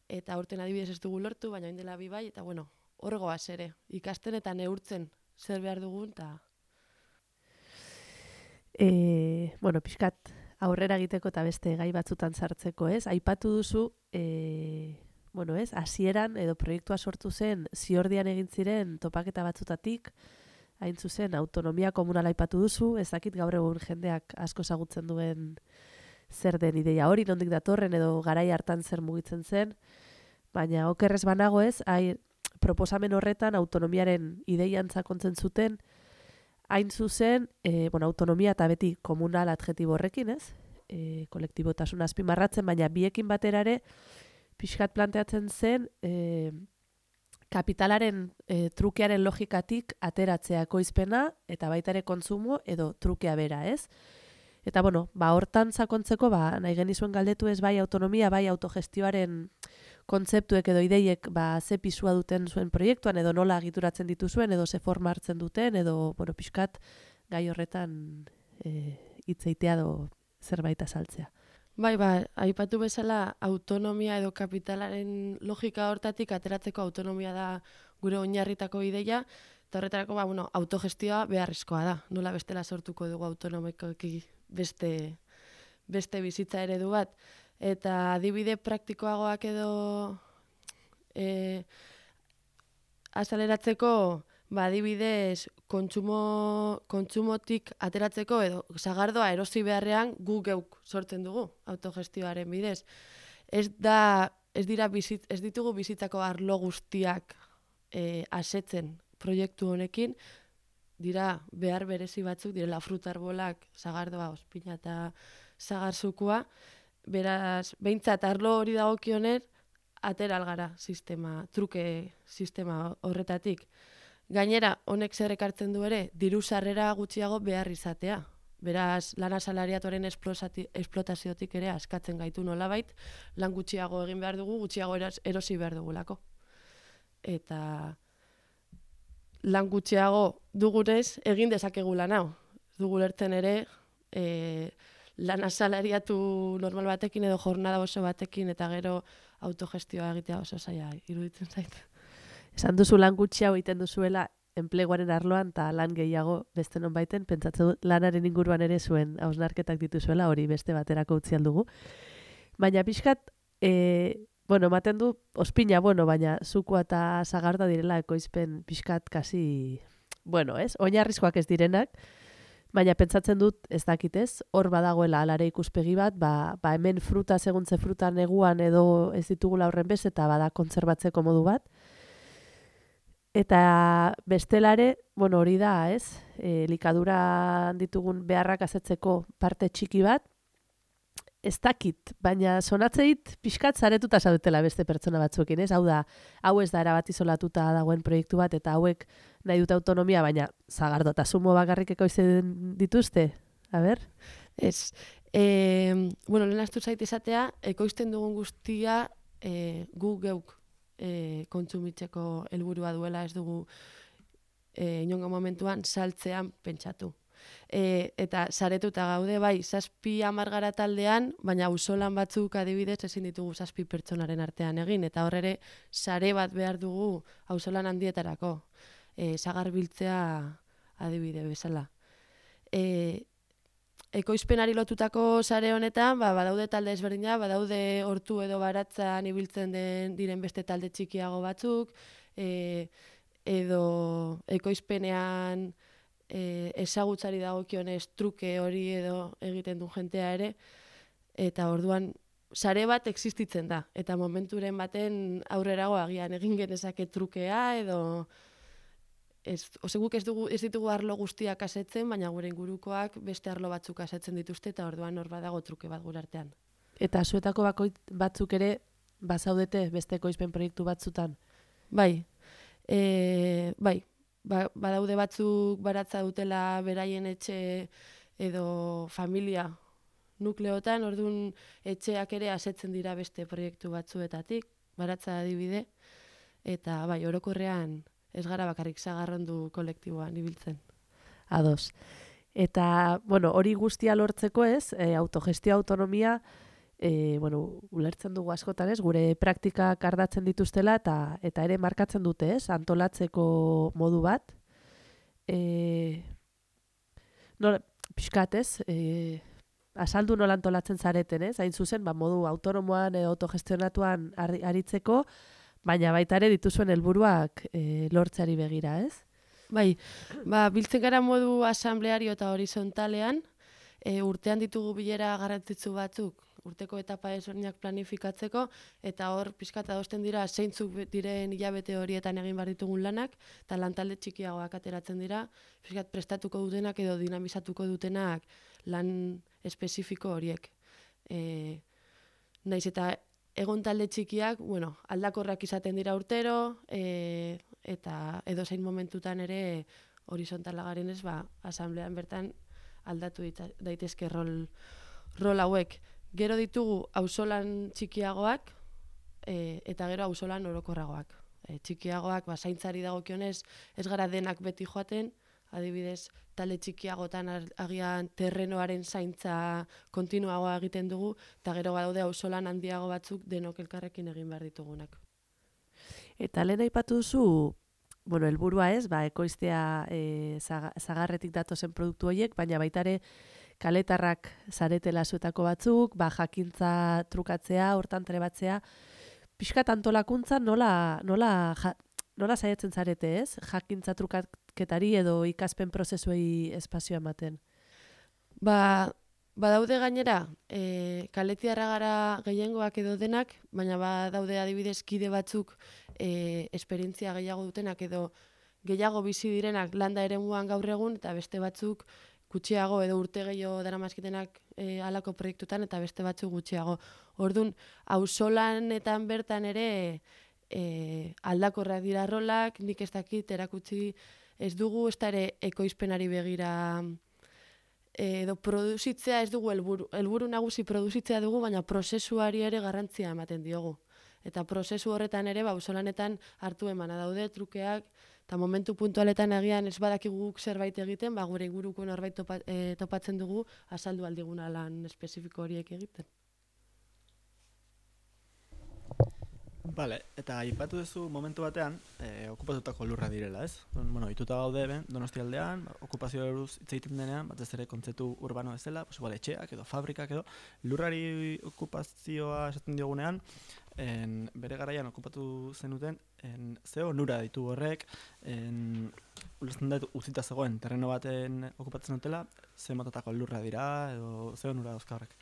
C: eta urten adibidez ez dugu lortu, baina orain dela 2 bai, eta hor goaz ere, ikasten eta neurtzen zer behar dugun, eta
A: pixkat aurrera egiteko eta beste gai batzutan sartzeko, ez? Aipatu duzu, hasieran edo proiektua sortu zen Ziordian egin ziren topaketa batzutatik, hain zuzen autonomia komunala aipatu duzu, ez dakit gaur egun jendeak asko ezagutzen duen zer den ideia hori, nondik datorren edo garai hartan zer mugitzen zen, baina okerrez banago ez, proposamen horretan autonomiaren ideian sakontzen zuten, hain zuzen, autonomia eta beti komunal adjetibo horrekin, ez? Kolektibotasun azpimarratzen, baina biekin batera ere, pixkat planteatzen zen, kapitalaren trukearen logikatik ateratzea ekoizpena, eta baita ere kontsumo edo trukea bera, ez? Eta, hortan sakontzeko, nahi genizuen galdetu ez bai autonomia, bai autogestioaren kontzeptuek edo ideiek ze pisua duten zuen proiektuan, edo nola agituratzen dituzuen, edo ze forma hartzen duten, edo, pixkat gai horretan hitzeitea edo zerbait azaltzea.
C: Bai, aipatu bezala autonomia edo kapitalaren logika hortatik ateratzeko autonomia da gure oinarritako ideia, eta horretarako autogestioa beharrezkoa da. Nola bestela sortuko dugu autonomikoki beste beste bizitza eredu bat. Eta adibide praktikoagoak edo azaleratzeko, adibidez, kontsumotik ateratzeko edo sagardoa erosi beharrean gu geuk sortzen dugu autogestioaren bidez. Ez ditugu bizitzako arlo guztiak asetzen proiektu honekin, dira behar berezi batzuk, direla frutarbolak, sagardoa, ospina eta sagarzukua, beraz, behintzat arlo hori dagokioner, atera algara truke sistema horretatik. Gainera, honek zer ekartzen du ere, diru sarrera gutxiago behar izatea. Beraz, lan asalariatuaren esplotaziotik ere askatzen gaitu nolabait, lan gutxiago egin behar dugu, gutxiago erosi behar dugulako. Eta lan gutxiago dugunez egin dezakegu lan hau. Dugu lertzen ere, lan asalariatu normal batekin edo jornada oso batekin eta gero autogestioa egitea oso zaila iruditzen zait.
A: Esan duzu lan gutxiago egiten duzuela enpleguaren arloan eta lan gehiago beste nonbaiten, pentsatzen dut lanaren inguruan ere zuen hausnarketak dituzuela, hori beste baterako utzi aldugu. Baina pixkat, ematen du ospina, baina zukua eta sagarda direla ekoizpen pixkat kasi, oinarrizkoak ez direnak, baina pentsatzen dut ez dakitez, hor badagoela alare ikuspegi bat, hemen fruta seguntze fruta neguan edo ez ditugula horren bez, eta bada kontserbatzeko modu bat. Eta bestelare, hori da, ez? Likadura ditugun beharrak asetzeko parte txiki bat, ez dakit, baina sonatzeit pixkat zaretuta zaudetela beste pertsona batzuekin, ez? Hau da, hau ez da erabat izolatuta dagoen proiektu bat, eta hauek nahi dute autonomia, baina zagardo eta zumo bakarrik ekoizten dituzte? A ber?
C: Ez. Lehen astu zait izatea, ekoizten dugun guztia gu geuk kontsumitzeko helburua duela, ez dugu inongo momentuan saltzean pentsatu. Eta saretuta gaude, 7-10 gara taldean, baina auzolan batzuk adibidez ezin ditugu 7 pertsonaren artean egin, eta hor ere sare bat behar dugu auzolan handietarako, sagar biltzea adibide bezala. Ekoizpenari lotutako sare honetan, badaude talde ezberdina, badaude hortu edo baratzan ibiltzen diren beste talde txikiago batzuk, edo ekoizpenean ezagutzari dagokionez truke hori edo egiten du jentea ere, eta orduan sare bat existitzen da, eta momenturen baten aurrerago agian egin genezake trukea edo guk ez ditugu arlo guztiak asetzen, baina gure ingurukoak beste arlo batzuk asetzen dituzte, eta orduan hor badago truke bat gure artean.
A: Eta zuetako batzuk ere bazaudete beste ekoizpen proiektu batzutan?
C: Bai. Badaude batzuk baratza dutela beraien etxe edo familia nukleotan, orduan etxeak ere asetzen dira beste proiektu batzuetatik, baratza adibide, eta orokorrean ez gara bakarrik sagarrondu kolektiboan ibiltzen.
A: Ados. Eta, hori guztia lortzeko ez, autogestio autonomia, ulertzen dugu askotan ez, gure praktikak ardatzen dituztela eta ere markatzen dute ez, antolatzeko modu bat. Pixkat ez, azaldu nola antolatzen zareten ez, hain zuzen, modu autonomoan edo autogestionatuan aritzeko, baina baita ere dituzuen helburuak lortzeari begira, ez?
C: Bai, biltzen gara modu asambleario eta horizontalean, urtean ditugu bilera garrantzitsu batzuk, urteko etapa ezberdinak planifikatzeko, eta hor pixkat adosten dira zeintzuk diren hilabete horietan egin behar ditugun lanak, eta lantalde txikiagoak ateratzen dira, pixkat prestatuko dutenak edo dinamizatuko dutenak lan espezifiko horiek. Naiz eta egon talde txikiak, aldakorrak izaten dira urtero, eta edozein momentutan ere horizontala garenez, asamblean bertan aldatu daitezke rol hauek. Gero ditugu auzolan txikiagoak, eta gero auzolan orokorragoak. Txikiagoak, zaintzari dagokionez, ez gara denak beti joaten, adibidez, talde txikiagotan agian terrenoaren zaintza kontinuagoa egiten dugu, eta gero badaude auzolan handiago batzuk denok elkarrekin egin behar ditugunak.
A: Eta lehen aipatu duzu, helburua ez, ekoiztea zagarretik datozen produktu horiek, baina baita ere kaletarrak zaretela zuetako batzuk, jakintza trukatzea, hortan trebatzea, pixkat antolakuntza nola saiatzen zarete, ez? Jakintza trukaketari edo ikaspen prozesuei espazioa ematen.
C: Badaude gainera, kaletiarra gara gehiengoak edo denak, baina badaude adibidez kide batzuk esperientzia gehiago dutenak edo gehiago bizi direnak landa eremuan gaur egun, eta beste batzuk gutxiago edo urte gehiago daramazkitenak halako proiektutan, eta beste batzuk gutxiago. Orduan, auzolanetan bertan ere aldakorrak dira rolak, nik ez dakit erakutsi ez dugu, ez da ere ekoizpenari begira edo produzitzea ez dugu helburu nagusi produzitzea dugu, baina prozesuari ere garrantzia ematen diogu. Eta prozesu horretan ere, auzolanetan hartu emana daude, trukeak, eta momentu puntualetan agian ez badakigu guk zerbait egiten, gure inguruko norbait topatzen dugu, azaldu aldiguna lan espezifiko horiek egiten.
B: Bale, eta aipatu duzu momentu batean, okupatutako lurra direla, ez? Bueno, ituta gaude, Donostialdean, okupazio buruz hitz egiten denean, batez ere kontzeptu urbano bezala, etxeak edo fabrikak edo, lurrari okupazioa esaten diogunean, bere garaian okupatu zenuten, ze onura ditu horrek, ulertzen dut utzita zegoen terreno baten okupatzen dutela, ze motatako lurra dira, edo ze onura dauzka horrek?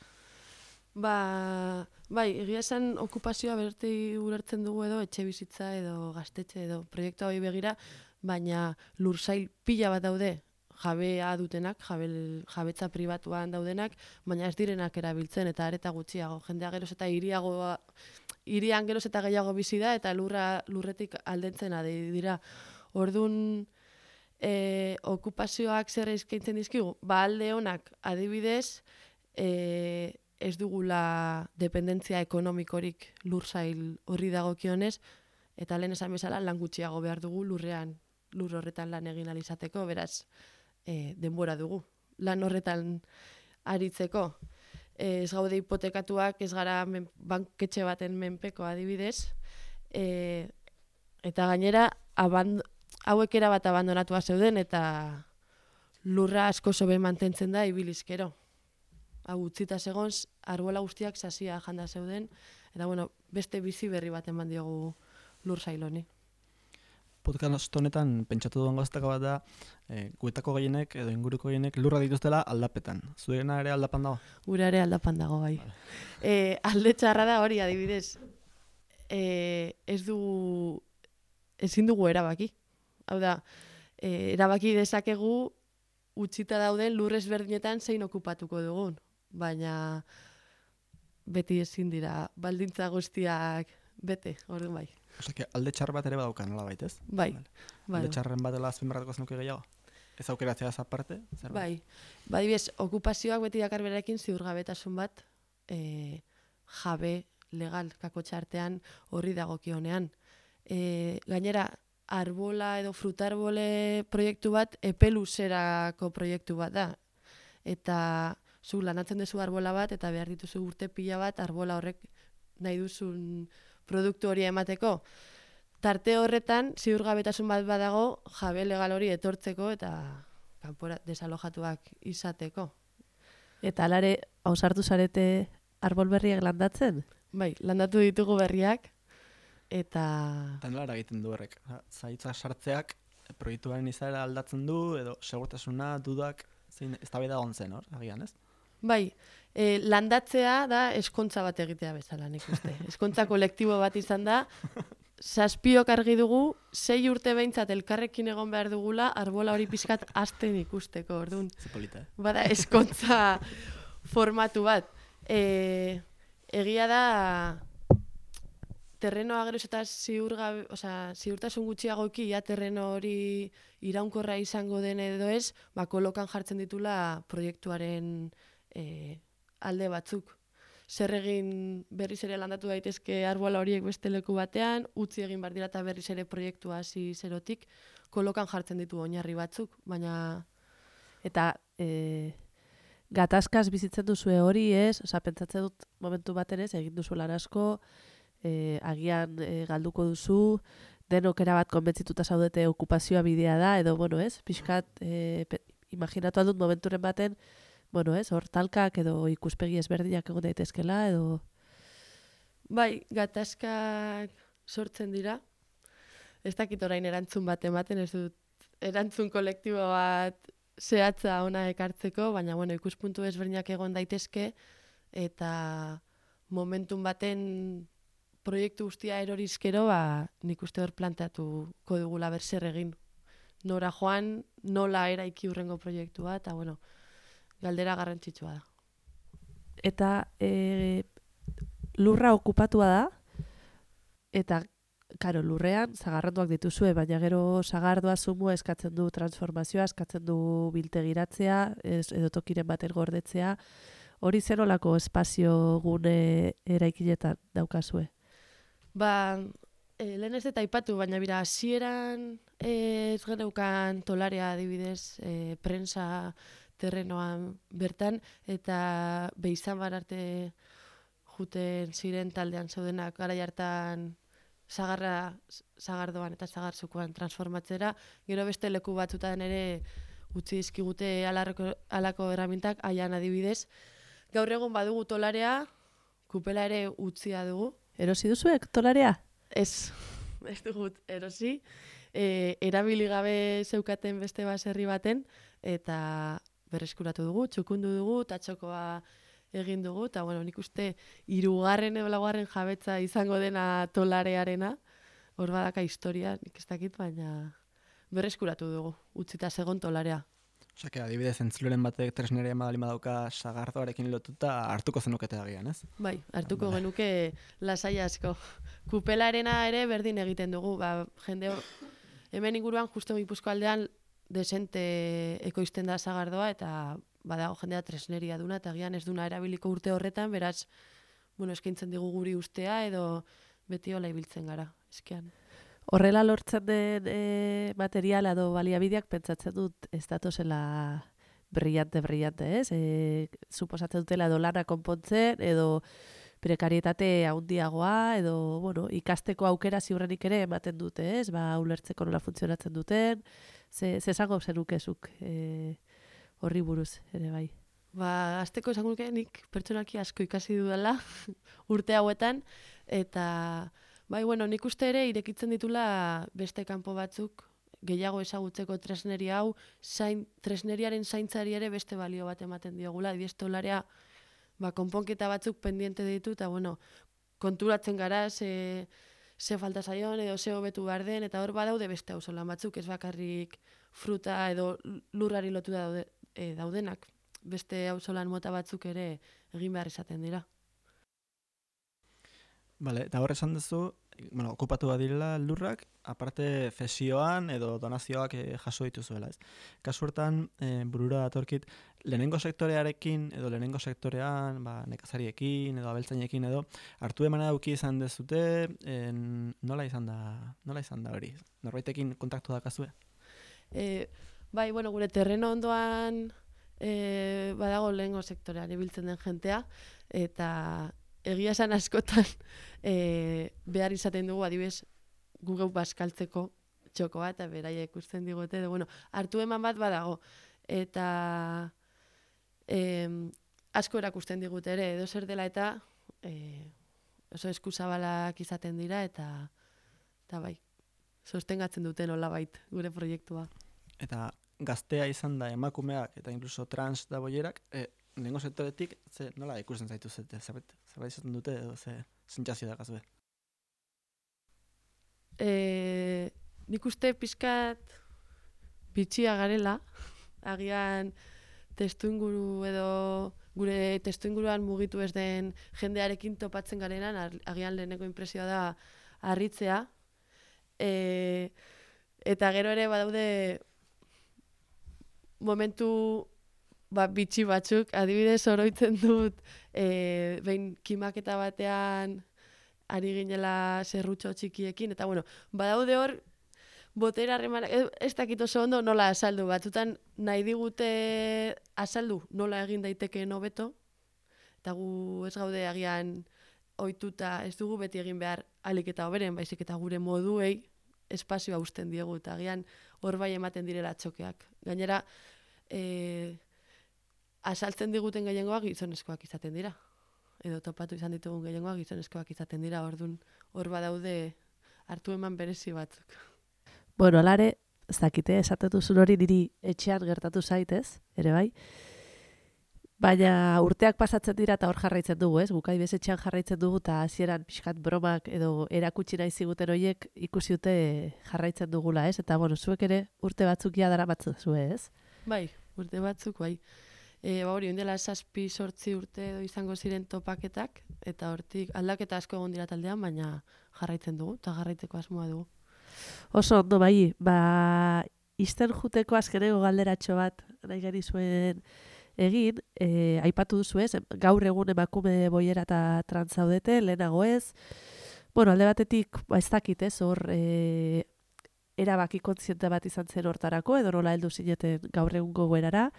C: Bai, egia esan okupazioa berti ulertzen dugu edo etxe bizitza edo gaztetxe edo proiektu hori begira, baina lursail pila bat daude jabea dutenak, jabetza pribatuan daudenak, baina ez direnak erabiltzen eta areta gutxiago. Jendea geroz eta hirian geroz eta gehiago bizi da eta lurretik aldentzen dira. Orduan, okupazioak zer eskaintzen dizkigu? Alde honak adibidez, ez dugula dependentzia ekonomikorik lursail horri dagokionez, eta lehen esan bezala lan gutxiago behar dugu lur horretan lan egin alizateko, beraz denbora dugu lan horretan aritzeko. Ez gaude hipotekatuak, ez gara banketxe baten menpeko adibidez, eta gainera hauek erabat abandonatua zeuden eta lurra asko sobe mantentzen da ibilizkero. Hau utzita zegoen, arbola guztiak sasia janda zeuden, eta beste bizi berri bat eman diogu lur sailoni.
B: Podcast honetan pentsatu duen gaztaka bat da, guetako gehienek edo inguruko gehienek lurra dituztela aldapetan. Zuena ere aldapan dago?
C: Gura ere aldapan dago, bai. Alde txarra da hori, adibidez, ezin dugu erabaki. Hau da, erabaki dezakegu utzita dauden lur ezberdinetan zein okupatuko dugun. Baina beti ezin dira baldintza guztiak bete, orduan bai.
B: Osea, alde txar bat ere badaukan, nola baitez?
C: Bai.
B: Alde txarren batela azpimarratuko zenuke gehiago? Ez aukeratzea aparte?
C: Bai. Badibidez, okupazioak beti dakar berarekin ziurgabetasun bat jabe legal kakotxa artean horri dagokionean. Gainera, arbola edo frutarbole proiektu bat epeluzerako proiektu bat da. Eta zu lanatzen duzu arbola bat eta behar dituzu urte pila bat arbola horrek nahi duzun produktu hori emateko. Tarte horretan ziurgabetasun bat badago jabe legal hori etortzeko eta kanpora desalojatuak izateko.
A: Eta alare, ausartu zarete arbol berriak landatzen?
C: Bai, landatu ditugu berriak eta
B: nola egiten du horrek? Zaitza sartzeak proiektuaren izaera aldatzen du edo segurtasuna, dudak, eztabaida egon zen, agian, ez?
C: Bai, landatzea da eskontza bat egitea bezala, nik uste. Eskontza kolektibo bat izan da, 7 argi dugu, 6 urte behintzat elkarrekin egon behar dugula, arbola hori pixkat hasten ikusteko, orduan.
B: Zepolita,
C: Bada, eskontza formatu bat. Egia da, terrenoa geroz eta ziurtasun gutxiagoki, terreno hori iraunkorra izango den edo ez, kolokan jartzen ditula proiektuaren alde batzuk. Zer egin berriz ere landatu daitezke arbola horiek beste leku batean, utzi egin behar dira eta berriz ere proiektua hasi zerotik, kolokan jartzen ditu oinarri batzuk, baina...
A: Eta gatazkaz bizitzen duzue hori ez, pentsatzen dut momentu baten ez, egin duzu lan asko, agian galduko duzu, denok erabat konbentzituta zaudete okupazioa bidea da, edo, ez, pixkat, imaginatu aldut momenturen baten, bueno, ez, hor talkak edo ikuspegi ezberdinak egon daitezkela, edo...
C: Bai, gatazkak sortzen dira. Ez dakit orain erantzun bat ematen, ez dut erantzun kolektibo bat zehatza ona ekartzeko, baina bueno, ikuspuntu ezberdinak egon daitezke, eta momentun baten proiektu guztia erorizkero, nik uste hor planteatuko dugula zer egin. Nora joan, nola eraiki hurrengo proiektua, eta bueno, galdera garrantzitsua da.
A: Eta lurra okupatua da, eta, karo, lurrean zagarranduak dituzue, baina gero zagardoa zumua eskatzen du transformazioa, eskatzen du biltegiratzea, edo tokiren baten gordetzea, hori zer olako espazio gune eraikinetan daukazue?
C: Lehen ez eta aipatu, baina bira, hasieran ez geneukan tolarea adibidez, prensa terrenoan bertan, eta behizan arte juten ziren taldean zeudenak garai hartan zagardoan eta zagarzukoan transformatzera, gero beste leku batzutan ere utzi dizkigute halako erramintak, haian adibidez. Gaur egun badugu tolarea, kupela ere utzia dugu.
A: Erosi duzuek tolarea?
C: Ez dugut erosi. Erabili gabe zeukaten beste baserri baten, eta berreskuratu dugu, txukundu dugu, tatxokoa egin dugu, eta bueno, nik uste 3. edo 4. jabetza izango dena tolarearena, hor badaka historia, nik ez dakit, baina berreskuratu dugu, utzita segon tolarea.
B: Osea, adibidez, entzuleren batek tresneria madalima dauka sagardoarekin lotuta hartuko zenukete agian, ez?
C: Bai, hartuko genuke lasai asko. Kupelarena ere berdin egiten dugu, jende hemen inguruan justo Gipuzko aldean desente ekoizten da sagardoa, eta badago jendea tresneria duna, eta agian ez duna erabiliko urte horretan, beraz, bueno, eskaintzen digu guri ustea, edo beti hola ibiltzen gara, eskean.
A: Horrela lortzen den materiala edo baliabideak pentsatzen dut ez datozela brillante, ez? Suposatzen dutela edo lana konpontzen, edo prekarietate handiagoa, edo, bueno, ikasteko aukera ziurrenik ere ematen dute, ez? Ulertzeko nola funtzionatzen duten, ze esango zenukezuk horri buruz, ere bai.
C: Azteko esango nuke nik pertsonalki asko ikasi dudala urte hauetan, eta bai, bueno, nik uste ere irekitzen ditula beste kanpo batzuk gehiago ezagutzeko tresneria hau, tresneriaren zaintzari ere beste balio bat ematen diogula, tolarea konponketa batzuk pendiente ditu, eta bueno, konturatzen gara ze falta zaion edo ze hobetu behar den, eta hor badaude beste auzolan batzuk, ez bakarrik fruta edo lurrari lotu daudenak, beste auzolan mota batzuk ere egin behar izaten dira.
B: Bale, eta hor esan duzu, bueno, okupatu badirela lurrak, aparte zesioan edo donazioak jaso dituzuela, ez? Kasu hortan, burura datorkit, lehenengo sektorearekin edo lehenengo sektorean, nekazariekin edo abeltzainekin edo, hartu emana dauki izan dezute, nola izan da hori? Norbaitekin kontaktu dakazue?
C: Bai, bueno, gure terreno ondoan badago lehenengo sektorean ibiltzen den jentea, eta egia esan askotan behar izaten dugu adibidez gu geu bazkaltzeko txokoa, eta beraiek ikusten digute, bueno, hartu eman bat badago, eta asko erakusten digute ere, edo zer dela eta oso eskuzabalak izaten dira, eta bai, sostengatzen duten nolabait gure proiektua.
B: Eta gaztea izan da emakumeak eta incluso trans da boierak, lehenengo sektoretik, nola ikusten zaitu zete? Zerbait izaten dute edo sentsazio da gazue?
C: Nik uste pixkat bitxia garela, agian testuinguru edo gure testuinguruan mugitu ez den jendearekin topatzen garenan, agian leheneko inpresioa da harritzea, eta gero ere badaude momentu bitxi batzuk, adibidez oroitzen dut behin kimaketa batean ari ginela zerrutxo txikiekin, eta bueno, badaude hor botera harremanak, ez dakit oso ondo nola azaldu, batzutan nahi digute azaldu nola egin daitekeen hobeto, eta gu ez gaude agian ohituta ez dugu beti egin behar ahalik eta hoberen, baizik eta gure moduei espazioa uzten diegu, eta agian hor bai ematen direla txokeak. Gainera, azaltzen diguten gehiengoak gizonezkoak izaten dira. Edo topatu izan ditugun gehiengoak gizonezkoak izaten dira, orduan hor badaude hartu eman berezi batzuk.
A: Bueno, alare, ez dakite, esaten duzun hori niri etxean gertatu zaitez, ere bai. Baina urteak pasatzen dira eta hor jarraitzen dugu, ez? Gukai bez etxean jarraitzen dugu eta hasieran pixkat bromak edo erakutsi nahi ziguten horiek ikusi dute jarraitzen dugula, ez? Eta, bueno, zuek ere urte batzuk ja daramatzu zue, ez?
C: Bai, urte batzuk, bai. Hori, ondela 7-8 urte edo izango ziren topaketak, eta hortik aldaketa asko egon dira taldean, baina jarraitzen dugu, eta jarraitzeko asmoa dugu.
A: Oso ondo bai, izten juteko azkeneko galderatxo bat nahi gari zuen egin, aipatu duzu ez, gaur egun emakume boiera eta trans zaudete, lehenago ez. Bueno, alde batetik, ez dakit ez, hor erabaki kontziente bat izan zen hortarako, edo nola heldu zineten gaur egungo goerara.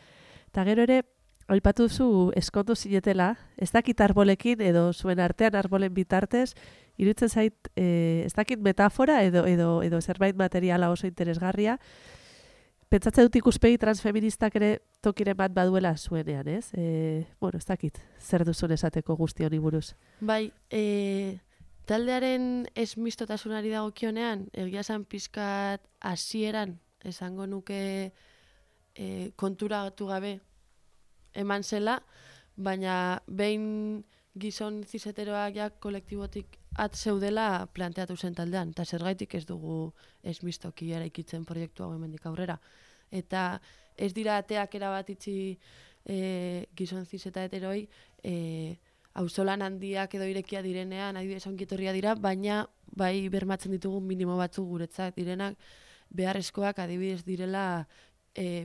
A: Eta gero ere, aipatu duzu eskondu zinetela, ez dakit arbolekin, edo zuen artean arbolen bitartez, iruditzen zait, ez dakit metafora, edo zerbait materiala oso interesgarria. Pentsatzen dut ikuspegi transfeministak ere tokiren bat baduela zuenean, ez? Bueno, ez dakit, zer duzun esateko guzti honi buruz.
C: Bai, taldearen esmistotasunari dagokionean, egia esan pizkat hasieran esango nuke konturatu gabe eman zela, baina behin gizon zizeteroak ja kolektibotik zeudela planteatu zen taldean, eta zergaitik ez dugu esmistoki eraikitzen proiektu hau hemendik aurrera. Eta ez dira ateak erabat itxi gizon zizeta heteroi, auzolan handiak edo irekia direnean, adibidez ongitorria dira, baina bai bermatzen ditugu minimo batzuk guretzat direnak, beharrezkoak adibidez direla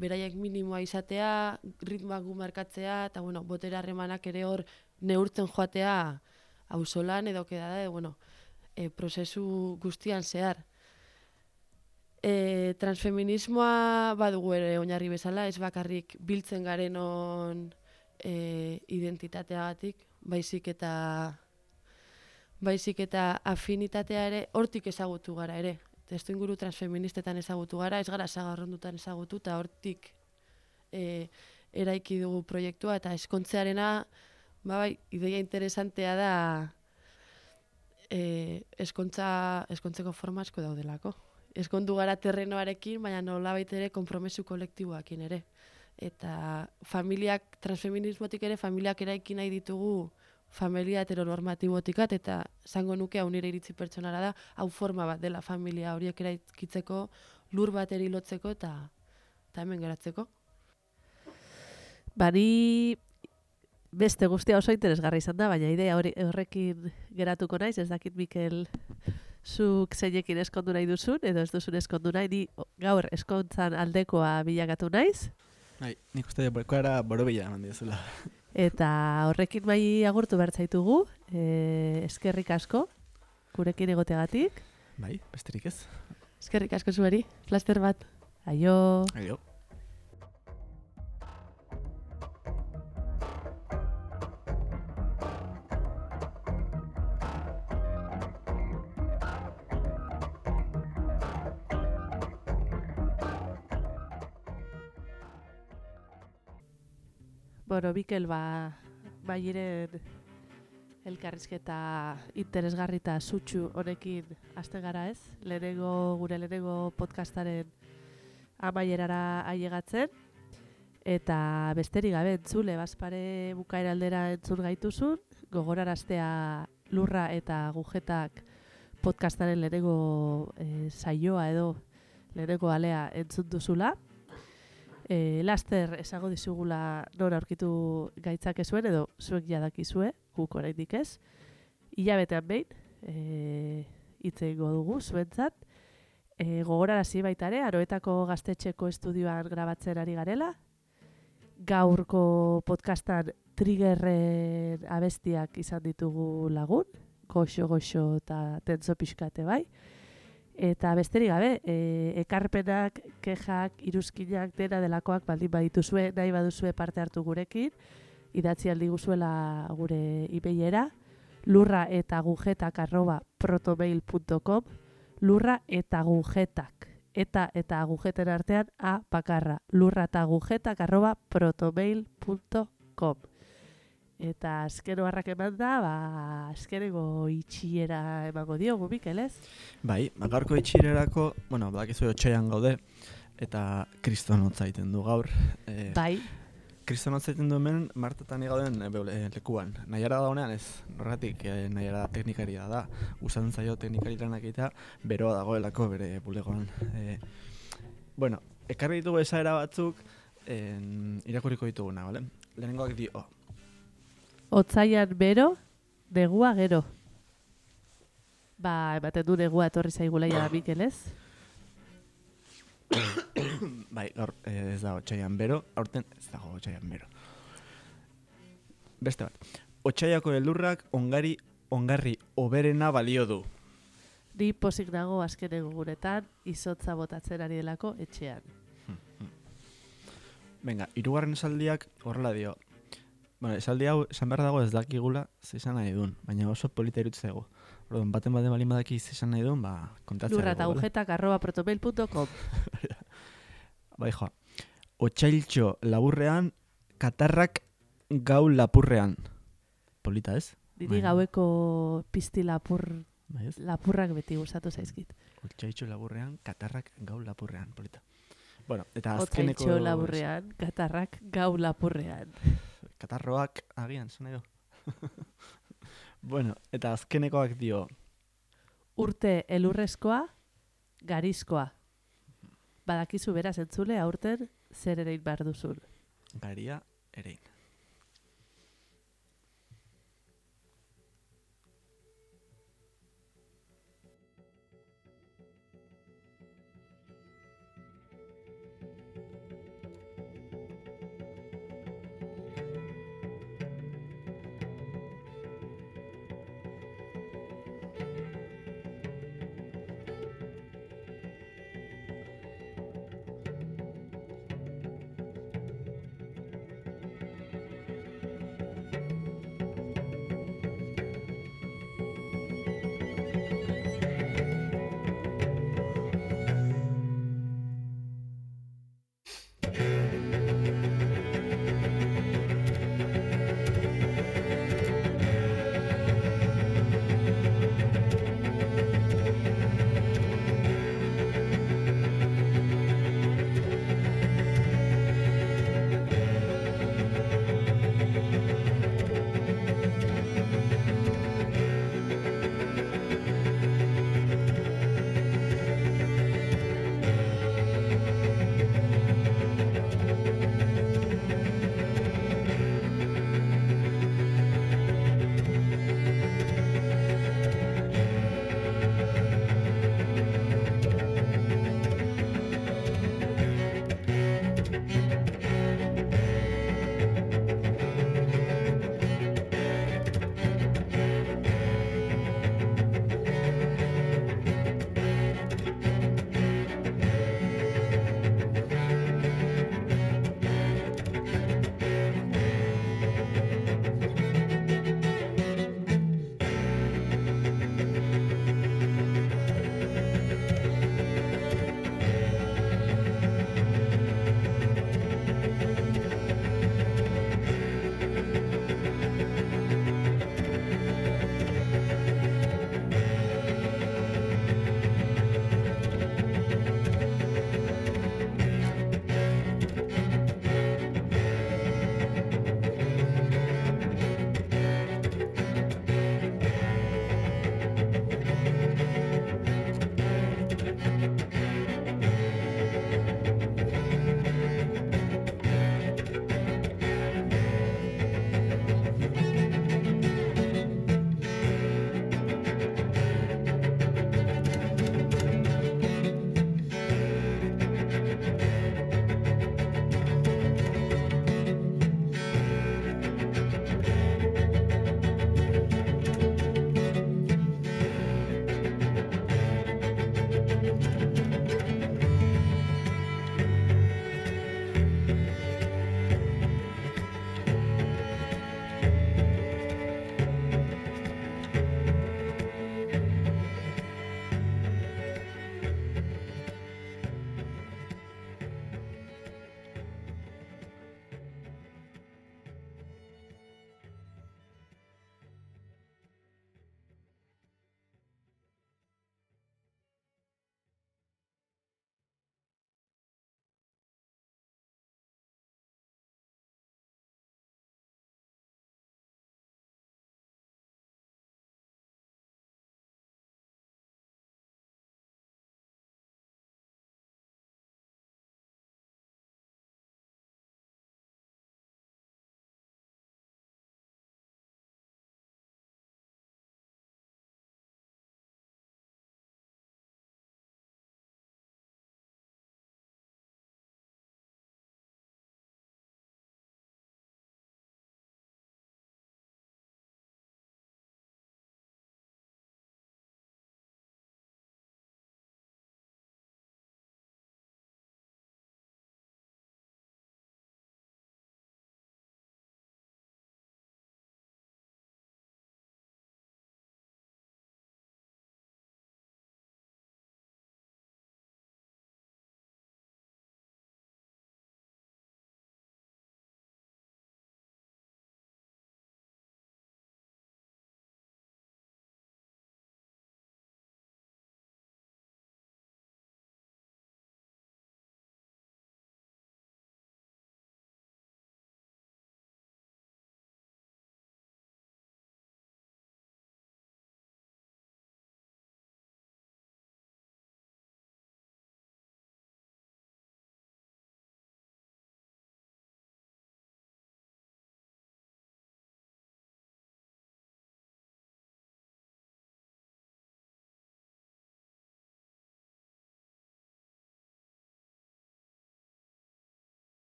C: beraiek minimoa izatea, ritmoak gu markatzea, eta bueno, botere harremanak ere hor neurtzen joatea auzolan edo kedada, prozesu guztian zehar. Transfeminismoa badugu ere oinarri bezala, ez bakarrik biltzen garenon identitateagatik, baizik eta afinitatea ere hortik ezagutu gara ere. Testuinguru transfeministetan ezagutu gara, ez gara sagarrondutan ezagutu, eta hortik eraiki dugu proiektua, eta eskontzearena, ideia interesantea da eskontzeko forma asko daudelako. Eskondu gara terrenoarekin, baina nolabait ere konpromesu kolektiboakin ere. Eta transfeminismotik ere, familiak eraiki nahi ditugu familia heteronormatibotikat, eta zango nuke hau nire iritzi pertsonara da, hau forma bat dela familia horiek eraikitzeko, lur bateri lotzeko eta hemen geratzeko.
A: Bari beste guztia oso interesgarri izan da, baina idea horrekin geratuko naiz, ez dakit Mikel zuk zeinekin eskondu nahi duzun, edo ez duzun eskondu nahi, ni gaur eskontzan aldekoa bilakatu naiz.
B: Nik uste borkoara borobila eman diazula.
A: Eta horrekin bai agurtu behar zaitugu, eskerrik asko, gurekin egoteagatik.
B: Bai, besterik ez.
C: Eskerrik asko zueri, plaster bat.
A: Aio.
B: Aio.
A: Bueno, Mikel, bairen elkarrizketa interesgarri eta sutsu honekin hasten gara ez? Gure lehenengo podcastaren amaierara ailegatzen. Eta besterik gabe entzule, bazpare bukaera aldera entzun gaituzun, gogoraraztea Lurra eta Agujetak podcastaren lehenengo saioa edo lehenengo alea entzun duzula. Laster esango dizugula nora aurkitu gaitzakezuen edo zuek jadakizue, guk oraindik ez. Hilabetean behin hitz egingo dugu zuentzat. Gogorarazi baita ere, Aroetako Gaztetxeko estudioan grabatzen ari garela. Gaurko podcastan Triggerren abestiak izan ditugu lagun, goxo eta tentzo pixkate bai. Eta besterik gabe, ekarpenak, kexak, iruzkinak, dena delakoak baldin badituzue, nahi baduzue parte hartu gurekin, idatzi aldi guzuela gure e-mailera, lurraetagujetak@protomail.com, lurraetagujetak eta agujeten artean A bakarra. lurratagujetak@protomail.com. Eta azken oharrak eman da, azkeneko itxiera emango diogu, Mikel, ez?
B: Bai, gaurko itxirerako, badakizu otsaian gaude, eta kristonotza egiten du gaur.
A: Bai.
B: Kristonotza egiten du hemen, Martetan gauden lekuan. Nahiara daunean ez, horregatik nahiara teknikaria da. Gustatzen zaio teknikari lanak egitea, beroa dagoelako bere bulegoan. Ekarri ditugu esaera batzuk, irakurriko dituguna, bale? Lehenengoak dio.
A: Otsaian bero, negua gero. Ematen du negua etorri zaigula ja Mikel, ez?
B: Bai, gaur ez da otsaian bero, aurten ez dago otsaian bero. Beste bat. Otsaiako elurrak ongarri oberena balio du.
A: Ni pozik nago azken egunetan izotza botatzen ari delako etxean.
B: Venga, hirugarren esaldiak horrela dio. Esaldi hau esan behar dago ez dakigula zesan nahi duen, baina oso polita irutzen zaigu. Orduan, baten balin badaki zesan nahi duen, kontatzea dugu.
A: lurratagujetak@protomail.com.
B: Bai, joa. Otsailtxo laburrean, katarrak gau lapurrean. Polita, ez?
A: Diri gaueko pizti lapurrak beti gustatu zaizkit.
B: Otsailtxo laburrean, katarrak gau lapurrean. Polita. Eta azkeneko...
A: Otsailtxo laburrean, katarrak gau lapurrean.
B: Katarroak agian, zena edo. Eta azkenekoak dio.
A: Urte elurrezkoa, garizkoa. Badakizu beraz entzule aurten zer erein behar duzun.
B: Garia erein.